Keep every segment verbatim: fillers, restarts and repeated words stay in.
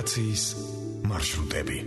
მიგრაციის მარშრუტები.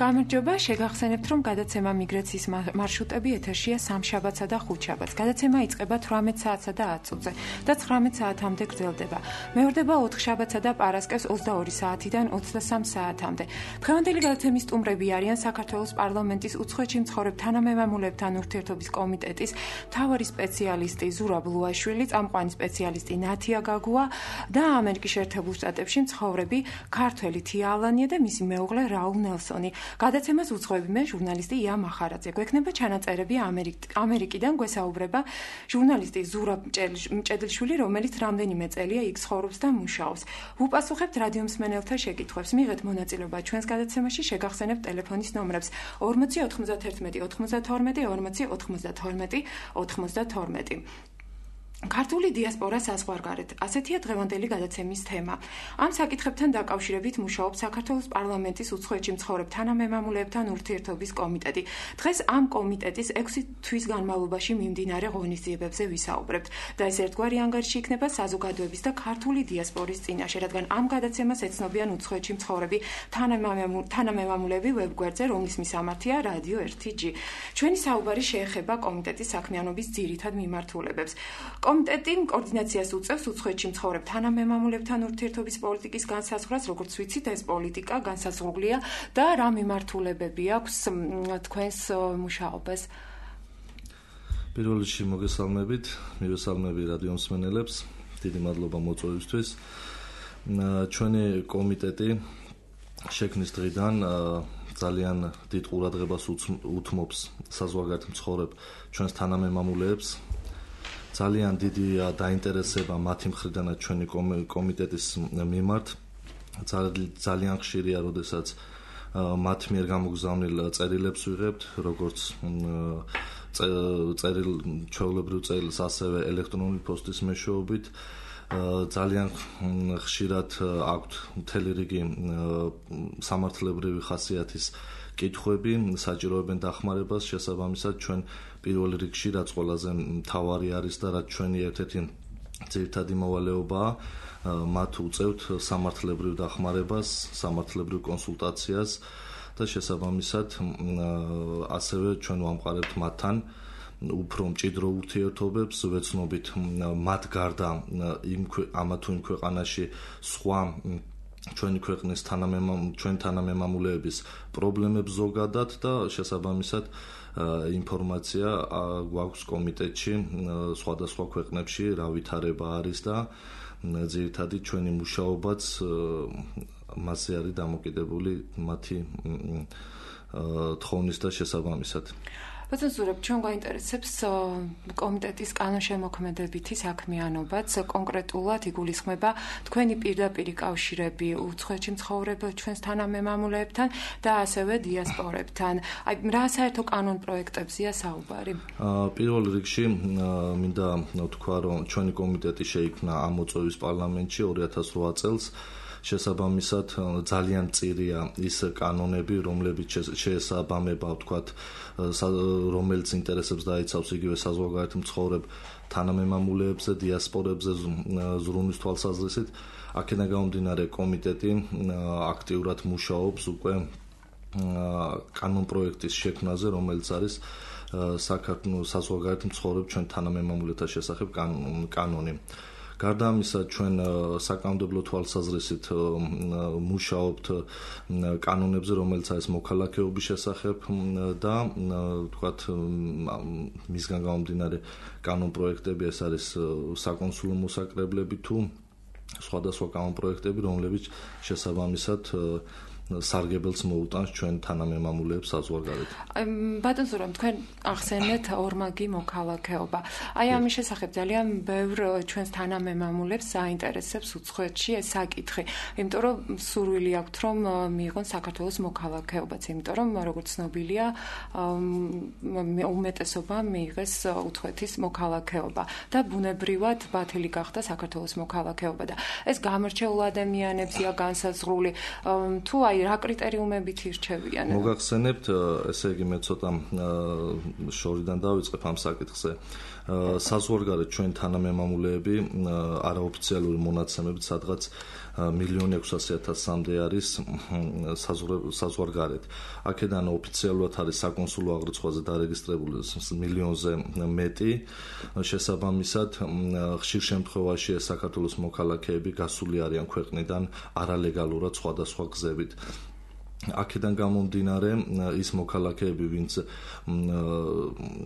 გამარჯობა, შეგახსენებთ, რომ გადაცემა მიგრაციის მარშრუტები ეთერშია სამშაბათსა და ხუთშაბათს. გადაცემა იწყება თვრამეტ საათსა და ათ წუთზე და ცხრამეტ საათამდე გრძელდება. მეორდება ოთხშაბათსა და პარასკევს ოცდაორი საათიდან ოცდასამ საათამდე. დღევანდელი გადაცემის სტუმრები არიან საქართველოს პარლამენტის უცხოეთში მცხოვრებ თანამემამულეებთან ურთიერთობის კომიტეტის მთავარი სპეციალისტი ზურაბ ლუაშვილი, წამყვანი სპეციალისტი ნათია გაგუა და ამერიკის შეერთებულ შტატებში მცხოვრები ქართველი თია ალანია და მისი მეუღლე რაულ ნელსონი. გადაცემას უძღვები მე ჟურნალისტი ია მახარაძე. გვექნება ჩანაწერები ამერიკიდან, გვესაუბრება ჟურნალისტი ზურაბ მჭედლიშვილი, რომელიც რამდენიმე წელია იქ ცხოვრობს და მუშაობს. ვუპასუხებთ რადიო მსმენელთა შეკითხვებს. მიღეთ მონაწილეობა ჩვენს გადაცემაში, შეგახსენებთ ტელეფონის ნომრებს ორმოცი ოთხმოცდათერთმეტი ოთხმოცდათორმეტი ორმოცი ოთხმოცდათორმეტი ოთხმოცდათორმეტი. ქართული დიასპორა საზღვარგარეთ. ასეთია დღევანდელი გადაცემის თემა. ამ საკითხებთან დაკავშირებით მუშაობს საქართველოს პარლამენტის უცხოეთში მცხოვრებ თანამემამულეებთან ურთიერთობის კომიტეტი. დღეს ამ კომიტეტის ექვსი თვის განმავლობაში მიმდინარე ღონისძიებებზე ვისაუბრებთ და ეს ერთგვარი ანგარიში იქნება საზოგადოების და ქართული დიასპორის წინაშე, რადგან ამ გადაცემას ეცნობიან უცხოეთში მცხოვრები თანამემამულეები ვებგვერდზე, რომლის მისამართია რადიო ერთი ჯი. ჩვენი საუბარი შეეხება კომიტეტის საქმიანობის ძირითად მიმართულებებს. კომიტეტი კოორდინაციას უწევს უცხოეთში მცხოვრებ თანამემამულეებთან ურთიერთობის პოლიტიკის განსაზღვრას, როგორც ვიცით, ეს პოლიტიკა განსაზღვრულია და რა მიმართულებები აქვს თქვენს მუშაობას. პირველ რიგში მოგესალმებით, მივესალმები რადიო მსმენელებს, დიდი მადლობა მოწვევისთვის. ჩვენი კომიტეტი შექმნის დღიდან ძალიან დიდ ყურადღებას უთმობს საზღვარგარეთ მცხოვრებ ჩვენს თანამემამულეებს. ძალიან დიდია დაინტერესება მათი მხრიდანაც ჩვენი კომიტეტის მიმართ. ძალიან ხშირია, როდესაც მათ მიერ გამოგზავნილ წერილებს ვიღებთ, როგორც წერილ ჩვეულებრივ წერილს, ასევე ელექტრონული პოსტის მეშვეობით. ძალიან ხშირად აქვთ მთელი რიგი სამართლებრივი ხასიათის კითხვები, საჭიროებენ დახმარებას, შესაბამისად ჩვენ პირველ რიგში რაც ყველაზე მთავარი არის და რაც ჩვენი ერთ-ერთი ძირითადი მოვალეობაა, მათ უწევთ სამართლებრივ დახმარებას, სამართლებრივ კონსულტაციას და შესაბამისად ასევე ჩვენ ვამყარებთ მათთან უფრო მჭიდრო ურთიერთობებს, ვეცნობით მათ გარდა იმ ამა თუ იმ ქვეყანაში სხვა ჩვენი ქვეყნის ჩვენ თანამემამულეების პრობლემებს ზოგადად და შესაბამისად ინფორმაცია გვაქვს კომიტეტში სხვადასხვა ქვეყნებში რა ვითარება არის და ძირითადი ჩვენი მუშაობაც მასზე არის დამოკიდებული მათი თხოვნის და შესაბამისად. ბატონ ზურაბ, ჩვენ გვაინტერესებს კომიტეტის კანონშემოქმედებითი საქმიანობაც, კონკრეტულად იგულისხმება თქვენი პირდაპირი კავშირები უცხოეთში მცხოვრებ ჩვენს თანამემამულეებთან და ასევე დიასპორებთან. აი, რა საერთო კანონ პროექტებზია საუბარი? პირველ რიგში მინდა თქვა, რომ ჩვენი კომიტეტი შეიქმნა ამ მოწვევის პარლამენტში ორი ათას რვა წელს. შესაბამისად ძალიან მწირია ის კანონები, რომლებიც შეესაბამება, ვთქვათ, რომელიც ინტერესებს დაიცავს იგივე საზღვარგარეთ მცხოვრებ თანამემამულეებზე, დიასპორებზე ზრუნვის თვალსაზრისით. აქედან გამომდინარე კომიტეტი აქტიურად მუშაობს უკვე კანონ პროექტის შექმნაზე, რომელიც არის საქართველოს საზღვარგარეთ მცხოვრებ ჩვენ თანამემამულეთა შესახებ კანონი. გარდა ამისა, ჩვენ საკანონმდებლო თვალსაზრისით მუშაობთ კანონებზე, რომელიც არის მოქალაქეობის შესახებ და ვთქვათ, მისგან გამომდინარე კანონ პროექტები, ეს არის საკონსულო მოსაკრებლები თუ სხვადასხვა კანონ პროექტები, რომლებიც შესაბამისად სარგებელს მოუტანს ჩვენ თანამემამულეებს საზღვარგარეთ. ბატონ ზურაბ, თქვენ ახსენეთ ორმაგი მოქალაქეობა. აი ამის შესახებ ძალიან ბევრ ჩვენს თანამემამულებს საინტერესებს უცხოეთში ეს საკითხი. იმიტომ რომ სურვილი აქვთ რომ მიიღონ საქართველოს მოქალაქეობაც, იმიტომ რომ როგორც ცნობილია უმეტესობამ მიიღეს უცხოეთის მოქალაქეობა და ბუნებრივად ბათილი გახდა საქართველოს მოქალაქეობა და ეს გამორჩეულ ადამიანებია განსაზღვრული თუ აი რა კრიტერიუმებით ირჩევიან? მოგახსენებთ, ესე იგი მე ცოტა შორიდან დავიწყებ ამ საკითხზე. საზღვარგარეთ ჩვენ თანამემამულეები არაოფიციალური მონაცემებით სადღაც მილიონი ექვსასი ათასამდე არის საზღვარგარეთ. აქედან ოფიციალურად არის საკონსულო აღრიცხვაზე დარეგისტრირებული მილიონზე მეტი. შესაბამისად, ხშირ შემთხვევაში ეს საქართველოს მოქალაქეები გასული არიან ქვეყნიდან არალეგალურად სხვადასხვა გზებით. აქედან გამომდინარე ის მოქალაქეები, ვინც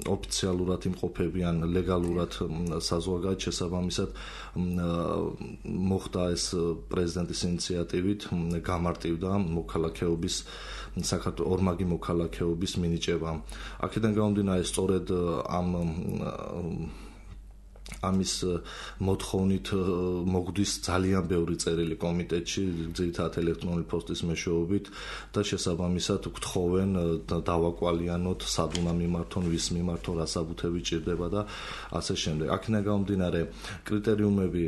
ოფიციალურად იმყოფებიან ლეგალურად საზღვარგარეთ, შესაბამისად მოხდა ეს პრეზიდენტის ინიციატივით გამარტივდა მოქალაქეობის საქართველოს ორმაგი მოქალაქეობის მინიჭება. აქედან გამომდინარე სწორედ ამ ამის მოთხოვნით მოგვდის ძალიან ბევრი წერილი კომიტეტში, ძირითადად ელექტრონული პოსტის მეშვეობით და შესაბამისად გთხოვენ დავაკვალიანოთ, სად უნდა მიმართონ, ვის მიმართონ, რა საბუთები ჭირდება და ასე შემდეგ. აქედან გამომდინარე კრიტერიუმები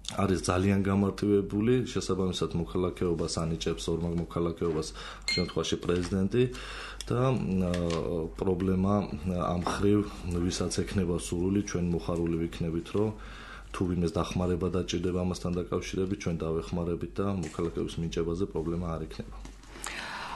არის ძალიან გამარტივებული, შესაბამისად მოქალაქეობას ანიჭებს ორმაგ მოქალაქეობას შემთხვევაში პრეზიდენტი და პრობლემა ამ ხრივ ვისაც ექნება სურვილი, ჩვენ მოხარული ვიქნებით, რომ თუ ვინმეს დახმარება დაჭირდება ამასთან დაკავშირებით, ჩვენ დავეხმარებით და მოქალაქეობის მინიჭებაზე პრობლემა არ იქნება.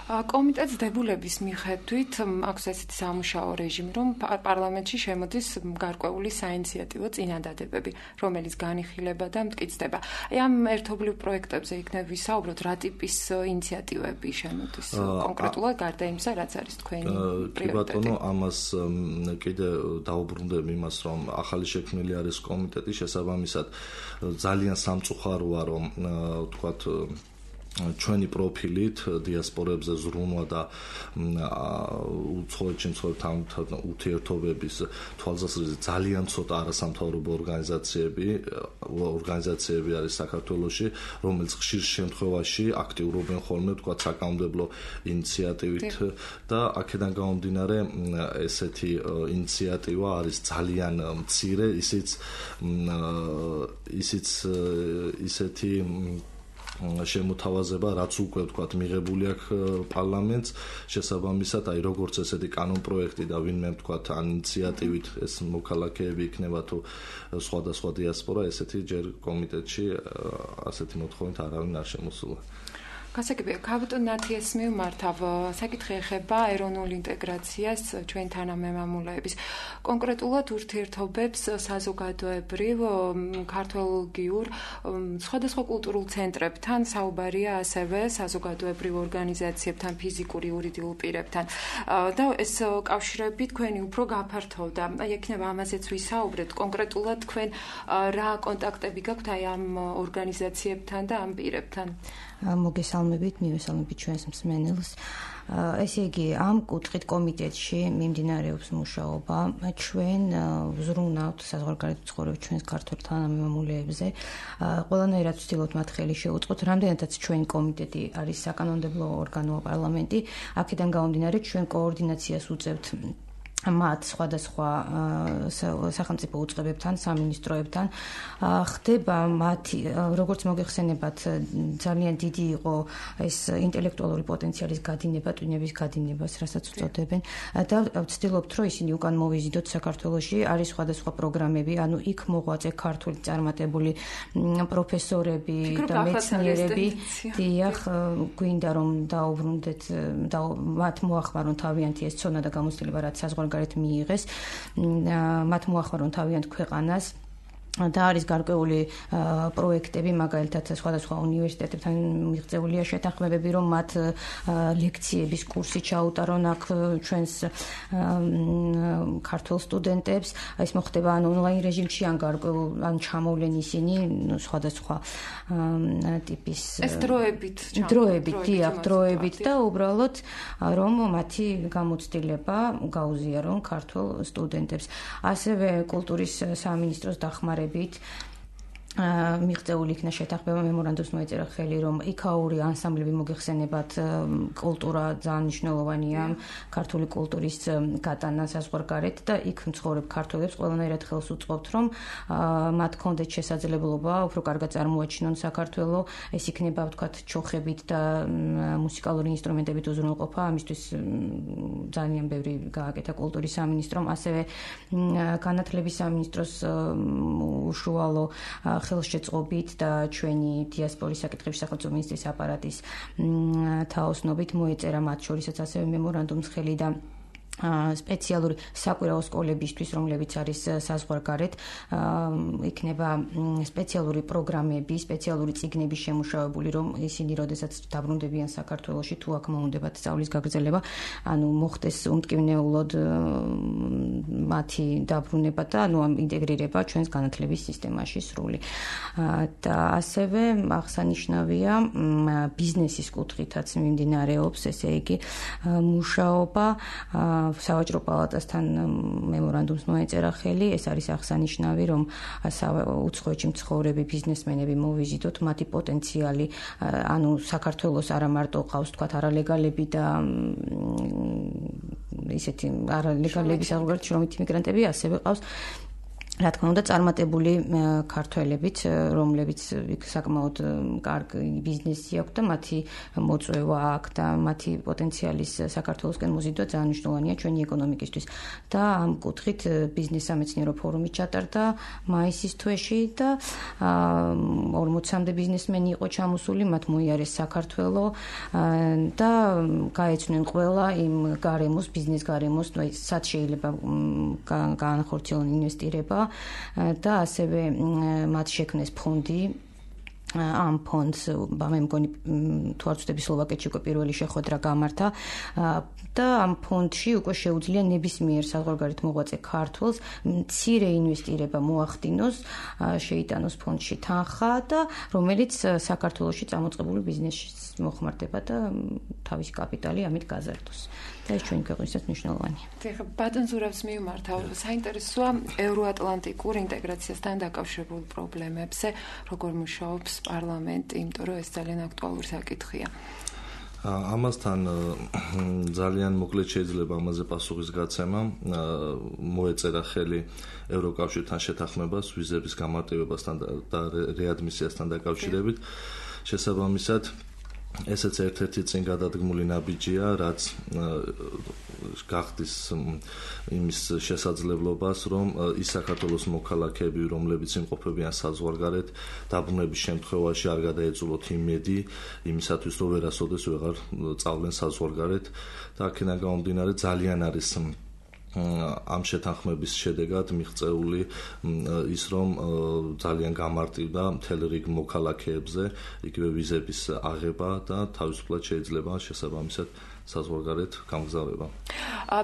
კომიტეტს დებულების მიხედვით აქვს ესეთი სამუშაო რეჟიმი, რომ პარლამენტში შემოდის გარკვეული საინიციატივო წინადადებები, რომელიც განიხილება და მტკიცდება. აი ამ ერთობლივ პროექტებზე იქნებ ვისაუბროთ, რა ტიპის ინიციატივები შემოდის კონკრეტულად გარდა იმისა, რაც არის თქვენი პრიორიტეტი. კი ბატონო, ამას კიდე დაუბრუნდებ იმას, რომ ახალი შექმნილი არის კომიტეტი, შესაბამისად ძალიან სამწუხაროა, რომ ვთქვათ ჩვენი პროფილით დიასპორებზე ზრუნვა და უცხოეთში მცხოვრებთან ურთიერთობების თვალსაზრისით ძალიან ცოტა არასამთავრობო ორგანიზაციები ორგანიზაციები არის საქართველოში, რომელიც ხშირ შემთხვევაში აქტიურობენ ხოლმე ვთქვათ საკანონმდებლო ინიციატივით და აქედან გამომდინარე ესეთი ინიციატივა არის ძალიან მცირე, ისიც ისიც ისეთი შემოთავაზება, რაც უკვე ვთქვათ მიღებული აქვს პარლამენტს, შესაბამისად, აი როგორც ესეთი კანონპროექტი და ვინმე ვთქვათ ან ინიციატივით ეს მოქალაქეები იქნება თუ სხვადასხვა დიასპორა, ესეთი ჯერ კომიტეტში ასეთი მოთხოვნით არავინ არ შემოსულა. გასაგებია, კაპიტან ნათიას მივმართავ, საკითხი ეხება ეროვნულ ინტეგრაციას ჩვენ თანამემამულეების. კონკრეტულად ურთიერთობებს საზოგადოებრივ, ქართველგიურ, სხვადასხვა კულტურულ ცენტრებთან, საუბარია ასევე საზოგადოებრივ ორგანიზაციებთან, ფიზიკურ იურიდიულ პირებთან. და ეს კავშირები თქვენი უფრო გაფართოვდა. აი ექნება ამაზეც ვისაუბრეთ, კონკრეტულად თქვენ რა კონტაქტები გაქვთ აი ამ ორგანიზაციებთან და ამ პირებთან? მოგესალმებით, მივესალმებით ჩვენს მსმენელს. ესე იგი, ამ კუთხით კომიტეტში მიმდინარეობს მუშაობა. ჩვენ ვზრუნავთ საზღვარგარეთ მცხოვრებ ჩვენს ქართველ თანამემამულეებზე. ყველანაირად ვცდილობთ მათ ხელი შეუწყოთ, რამდენადაც ჩვენი კომიტეტი არის საკანონმდებლო ორგანო პარლამენტი, აქედან გამომდინარე ჩვენ კოორდინაციას უწევთ მათ სხვადასხვა სახელმწიფო უწყებებთან, სამინისტროებთან. ხდება მათი, როგორც მოგეხსენებათ, ძალიან დიდი იყო ეს ინტელექტუალური პოტენციალის გადინება, ტვინების გადინებას, რასაც უწოდებენ და ვცდილობთ, რომ ისინი უკან მოვიზიდოთ საქართველოში. არის სხვადასხვა პროგრამები, ანუ იქ მოღვაწე ქართული წარმატებული პროფესორები და მეცნიერები. დიახ, გვინდა რომ დაუბრუნდეთ და მათ მოახმარონ თავიანთი ეს ცოდნა და გამოცდილება, რაც საზღვარგარეთ მიიღეს, მათ მოახმარონ თავიანთ ქვეყანას და არის გარკვეული პროექტები, მაგალითად სხვადასხვა უნივერსიტეტებთან მიღწეულია შეთანხმებები, რომ მათ ლექციების კურსი ჩაუტარონ აქ ჩვენს ქართულ სტუდენტებს. ეს მოხდება ან ონლაინ რეჟიმში, ან გარკვეულ ან ჩამოვლენ ისინი სხვადასხვა ტიპის ეს დროებით დროებით, დიახ, დროებით და უბრალოდ რომ მათი გამოცდილება გაუზიარონ ქართულ სტუდენტებს. ასევე კულტურის სამინისტროს დახმარებით მიღწეული იქნა შეთანხმება, მემორანდუმს მოეწერა ხელი, რომ იქაური ანსამბლები მოგეხსენებათ, კულტურა ძალიან მნიშვნელოვანია, ქართული კულტურის გატანა საზღვარგარეთ და იქ მცხოვრებ ქართველებს ყველანაირად ხელს უწყობთ, რომ მათ ჰქონდეთ შესაძლებლობა უფრო კარგად წარმოაჩინონ საქართველო, ეს იქნება ვთქვათ ჩოხებით და მუსიკალური ინსტრუმენტებით უზრუნველყოფა, ამისთვის ძალიან ბევრი გააკეთა კულტურის სამინისტრომ, ასევე განათლების სამინისტროს უშუალო ხელშეწყობით და ჩვენი დიასპორის საკითხების სახელმწიფო მინისტრის აპარატის თაოსნობით მოეწერა მათ შორისაც ასევე მემორანდუმს ხელი და სპეციალური საკვირაო სკოლებისთვის, რომლებიც არის საზღვარგარეთ, იქნება სპეციალური პროგრამები, სპეციალური წიგნები შემუშავებული, რომ ისინი როდესაც დაბრუნდებიან საქართველოში, თუ აქ მოუნდებათ სწავლის გაგრძელება, ანუ მოხდეს უმტკივნეულოდ მათი დაბრუნება და ანუ ინტეგრირება ჩვენს განათლების სისტემაში სრული. და ასევე აღსანიშნავია ბიზნესის კუთხითაც მიმდინარეობს, ესე იგი მუშაობა სავაჭრო პალატასთან მემორანდუმს მოეწერა ხელი, ეს არის აღსანიშნავი, რომ უცხოეთში მცხოვრები ბიზნესმენები მოვიზიდოთ, მათი პოტენციალი, ანუ საქართველოს არა მარტო ყავს თქვათ არალეგალები და ისეთი არალეგალები საზღვარგარეთ შრომითი მიგრანტები, ასევე ყავს რა თქმა უნდა წარმატებული ქართველებიც, რომლებიც საკმაოდ კარგი ბიზნესი აქვს და მათი მოწვევა აქვს და მათი პოტენციალის საქართველოსკენ მოზიდვა ძალიან მნიშვნელოვანია ჩვენი ეკონომიკისთვის. და ამ კუთხით ბიზნეს სამეცნიერო ფორუმი ჩატარდა მაისის თვეში და ორმოცამდე ბიზნესმენი იყო ჩამოსული, მათ მოიარეს საქართველო და გაეცნენ ყველა იმ გარემოს, ბიზნეს გარემოს, სად შეიძლება განახორციელონ ინვესტირება და ასევე მათ შექმნეს ფონდი. ამ ფონდს მე მგონი თუ არ ვცდები სლოვაკეთში უკვე პირველი შეხვედრა გამართა და ამ ფონდში უკვე შეუძლია ნებისმიერ საზღვარგარეთ მოღვაწე ქართველს მცირე ინვესტირება მოახდინოს, შეიტანოს ფონდში თანხა და რომელიც საქართველოში წამოწყებული ბიზნესში მოხმარდება და თავისი კაპიტალი ამით გაზარდოს. და ეს ჩვენი ქვეყნისათვის მნიშვნელოვანია. ეხლა ბატონ ზურაბს მივმართავ, საინტერესოა ევროატლანტიკურ ინტეგრაციასთან დაკავშირებულ პრობლემებზე, როგორ მუშაობს პარლამენტი, იმიტომ რომ ეს ძალიან აქტუალური საკითხია. ამასთან ძალიან მოკლედ შეიძლება ამაზე პასუხის გაცემა. მოეწერა ხელი ევროკავშირთან შეთანხმებას ვიზების გამარტივებასთან და რეადმისიასთან დაკავშირებით. შესაბამისად ესეც ერთ-ერთი წინ გადადგმული ნაბიჯია, რაც გახდის იმის შესაძლებლობას, რომ ის საქართველოს მოქალაქეები, რომლებიც იმყოფებიან საზღვარგარეთ, დაბრუნების შემთხვევაში არ გადაეწულოთ იმედი იმისათვის, რომ ვერასოდეს ვეღარ წავლენ საზღვარგარეთ და აქედან გამომდინარე ძალიან არის ამ შეთანხმების შედეგად მიღწეული ის, რომ ძალიან გამარტივდა მთელ რიგ მოქალაქეებზე იგივე ვიზების აღება და თავისუფლად შეიძლება შესაბამისად საზღვარგარეთ გამგზავრება.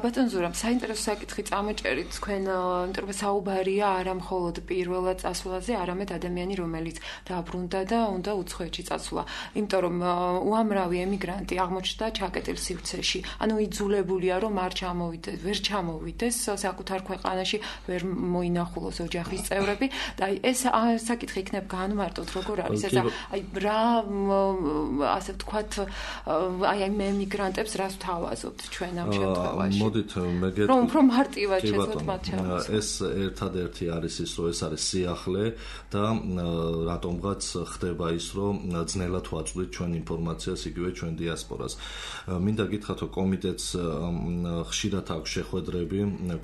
ბატონ ზურაბ, საინტერესო საკითხი წამოჭერით თქვენ, იმიტომ რომ საუბარია არა მხოლოდ პირველად წასვლაზე, არამედ ადამიანი, რომელიც დაბრუნდა და უნდა უცხოეთში წასვლა. იმიტომ რომ უამრავი ემიგრანტი აღმოჩნდა ჩაკეტილ სივრცეში. ანუ იძულებულია, რომ არ ჩამოვიდეს, ვერ ჩამოვიდეს საკუთარ ქვეყანაში, ვერ მოინახულოს ოჯახის წევრები და ეს საკითხი იქნებ განმარტოთ, როგორ არის ეს აი რა ასე ვთქვათ, აი ამ ემიგრანტებს რას ვთავაზობთ ჩვენ ამ შემთხვევაში? მოდით მე გეტყვი. რომ უფრო მარტივად შეძლოთ მათ ჩამოსვლა. ეს ერთადერთი არის ის, რომ ეს არის სიახლე და რატომღაც ხდება ის, რომ ძნელად ვაწვდით ჩვენ ინფორმაციას იგივე ჩვენ დიასპორას. მინდა გითხრათ, რომ კომიტეტს ხშირად აქვს შეხვედრები,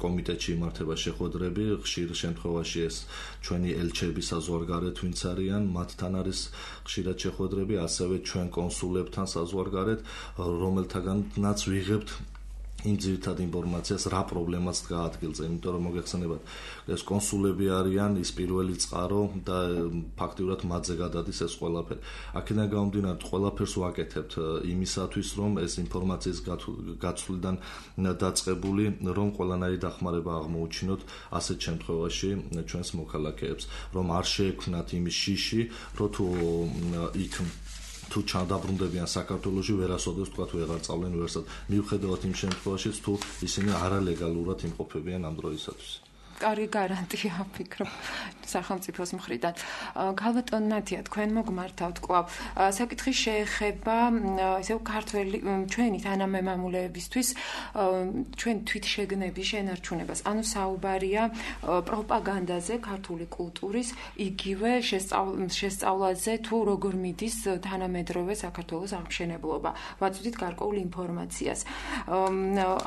კომიტეტში იმართება შეხვედრები, ხშირ შემთხვევაში ეს ჩვენი ელჩები საზღვარგარეთ ვინც არიან, მათთან არის ხშირად შეხვედრები, ასევე ჩვენ კონსულებთან საზღვარგარეთ, რომელთაგანაც ვიღებთ იმ ძირითად ინფორმაციას რა პრობლემაც დგა ადგილზე, იმიტომ რომ მოგეხსენებათ, ეს კონსულები არიან ის პირველი წყარო და ფაქტიურად მათზე გადადის ეს ყველაფერი. აქედან გამომდინარე, ყველაფერს ვაკეთებთ იმისათვის, რომ ეს ინფორმაციის გაცვლიდან დაწყებული, რომ ყველანაირი დახმარება აღმოუჩინოთ ასეთ შემთხვევაში ჩვენს მოქალაქეებს, რომ არ შეექმნათ იმის შიში, რომ თუ იქ თუ ჩადაბრუნდებიან საქართველოში, ვერასოდეს თქვა თუ აღარ წავლენ ვერსად. მიუხედავად იმ შემთხვევაშიც, თუ ისინი არალეგალურად იმყოფებიან ამ დროისათვის. კარგი გარანტია ვფიქრობ სახელმწიფოს მხრიდან. ქალბატონ ნათია, თქვენ მოგმართავთ კვლავ. საკითხი შეეხება ისევ ქართველი ჩვენი თანამემამულეებისთვის ჩვენ თვითშეგნების შენარჩუნებას. ანუ საუბარია პროპაგანდაზე, ქართული კულტურის, იგივე შესწავლაზე, თუ როგორ მიდის თანამედროვე საქართველოს აღმშენებლობა. ვაწვდით გარკვეულ ინფორმაციას.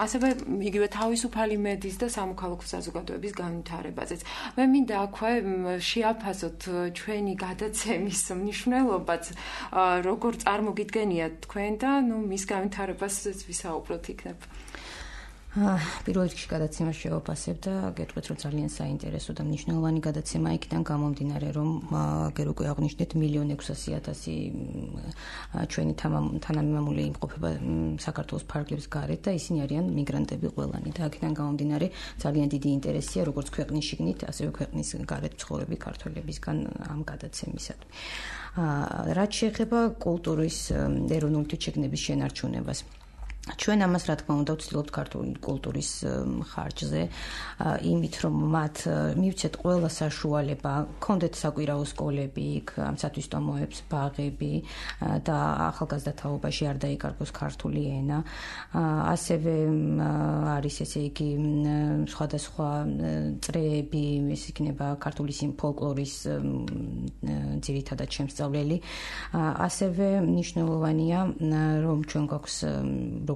ასევე იგივე თავისუფალი მედიის და სამოქალაქო საზოგადოების განვითარებაზეც. მე მინდა აქვე შეაფასოთ ჩვენი გადაცემის მნიშვნელობაც, როგორ წარმოგიდგენიათ თქვენ და ნუ მის განვითარებაზეც ვისაუბროთ იქნებ. პირველ რიგში გადაცემას შევაფასებ და გეტყვით, რომ ძალიან საინტერესო და მნიშვნელოვანი გადაცემა იქიდან გამომდინარე, რომ აგერ უკვე აღნიშნეთ მილიონ ექვსასი ათასი ჩვენი თანამემამულე იმყოფება საქართველოს ფარგლებს გარეთ და ისინი არიან მიგრანტები ყველანი და აქედან გამომდინარე ძალიან დიდი ინტერესია როგორც ქვეყნის შიგნით, ასევე ქვეყნის გარეთ მცხოვრები ქართველებისგან ამ გადაცემისადმი. რაც შეეხება კულტურის ეროვნული თვითშეგნების შენარჩუნებას. ჩვენ ამას რა თქმა უნდა ვცდილობთ ქართული კულტურის ხარჯზე, იმით რომ მათ მივცეთ ყველა საშუალება, კონდეთ საკვირაო სკოლები, ამ სათვისტომოებს, ბაღები და ახალგაზრდა თაობაში არ დაიკარგოს ქართული ენა. ასევე არის ესე იგი სხვადასხვა წრეები, ეს იქნება ქართული ფოლკლორის ძირითადად შემსწავლელი. ასევე მნიშვნელოვანია, რომ ჩვენ გვაქვს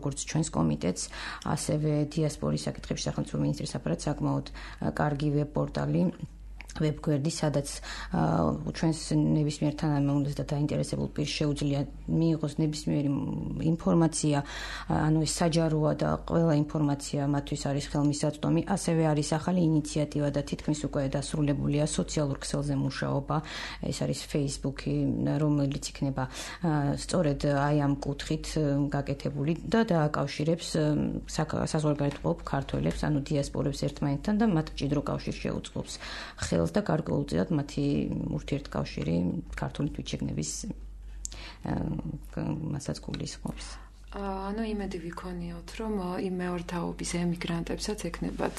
როგორც ჩვენს კომიტეტს, ასევე დიასპორის საკითხებში სახელმწიფო მინისტრის აპარატს საკმაოდ კარგი ვებ-პორტალი, ვებგვერდი, სადაც ჩვენს ნებისმიერ თანამემამულეს და დაინტერესებულ პირს შეუძლია მიიღოს ნებისმიერი ინფორმაცია, ანუ ეს საჯაროა და ყველა ინფორმაცია მათთვის არის ხელმისაწვდომი. ასევე არის ახალი ინიციატივა და თითქმის უკვე დასრულებულია სოციალურ ქსელზე მუშაობა, ეს არის Facebook-ი, რომელიც იქნება სწორედ აი ამ კუთხით გაკეთებული და დააკავშირებს საზღვარგარეთმყოფ ქართველებს, ანუ დიასპორებს ერთმანეთთან და მათ მჭიდრო კავშირს შეუწყობს და გარკვეულწილად მათი ურთიერთკავშირი ქართული თვითშეგნების მასაც გულისხმობს. ანუ იმედი ვიქონიოთ, რომ იმ მეორთაობის ემიგრანტებსაც ეკნებათ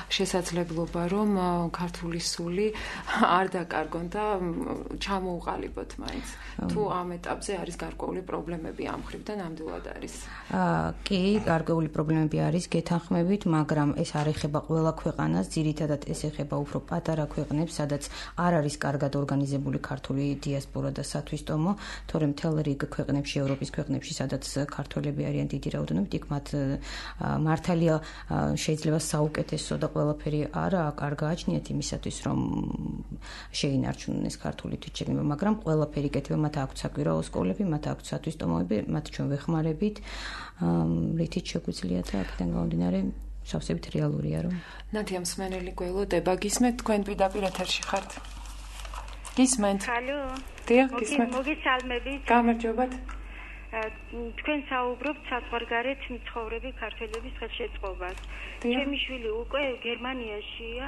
შესაძლებლობა, რომ ქართული სული არ დაკარგონ და ჩამოუყალიბოთ მაინც. თუ ამ ეტაპზე არის გარკვეული პრობლემები ამ მხრივ და ნამდვილად არის. კი, გარკვეული პრობლემები არის, გეთანხმებით, მაგრამ ეს არ ეხება ყველა ქვეყანას, ძირითადად ეს ეხება უფრო პატარა ქვეყნებს, სადაც არ არის კარგად ორგანიზებული ქართული დიასპორა და სათვისტომო, თორემ მთელ რიგ ქვეყნებში, ევროპის ქვეყნებში, სადაც ქართველები არიან დიდი რაოდენობით, იქ მათ მართალია შეიძლება საუკეთესო და ყველაფერი არა არ გააჩნიათ იმისათვის, რომ შეინარჩუნონ ეს ქართული თვითშეგნება, მაგრამ ყველაფერი კეთება, მათ აქვთ საკვირაო სკოლები, მათ აქვთ სათვისტომოები, მათ ჩვენ ვეხმარებით, რითიც შეგვიძლია და აქედან გამომდინარე სავსებით რეალურია, რომ ნათია მსმენელი გველოდება, გისმენთ, თქვენ პირდაპირ ეთერში ხართ. გისმენთ. ჰალო. დიახ, გისმენთ. მოგესალმებით. გამარჯობათ. თქვენ საუბრობთ საზღვარგარეთ მცხოვრები ქართველების ხელშეწყობას. ჩემი შვილი უკვე გერმანიაშია.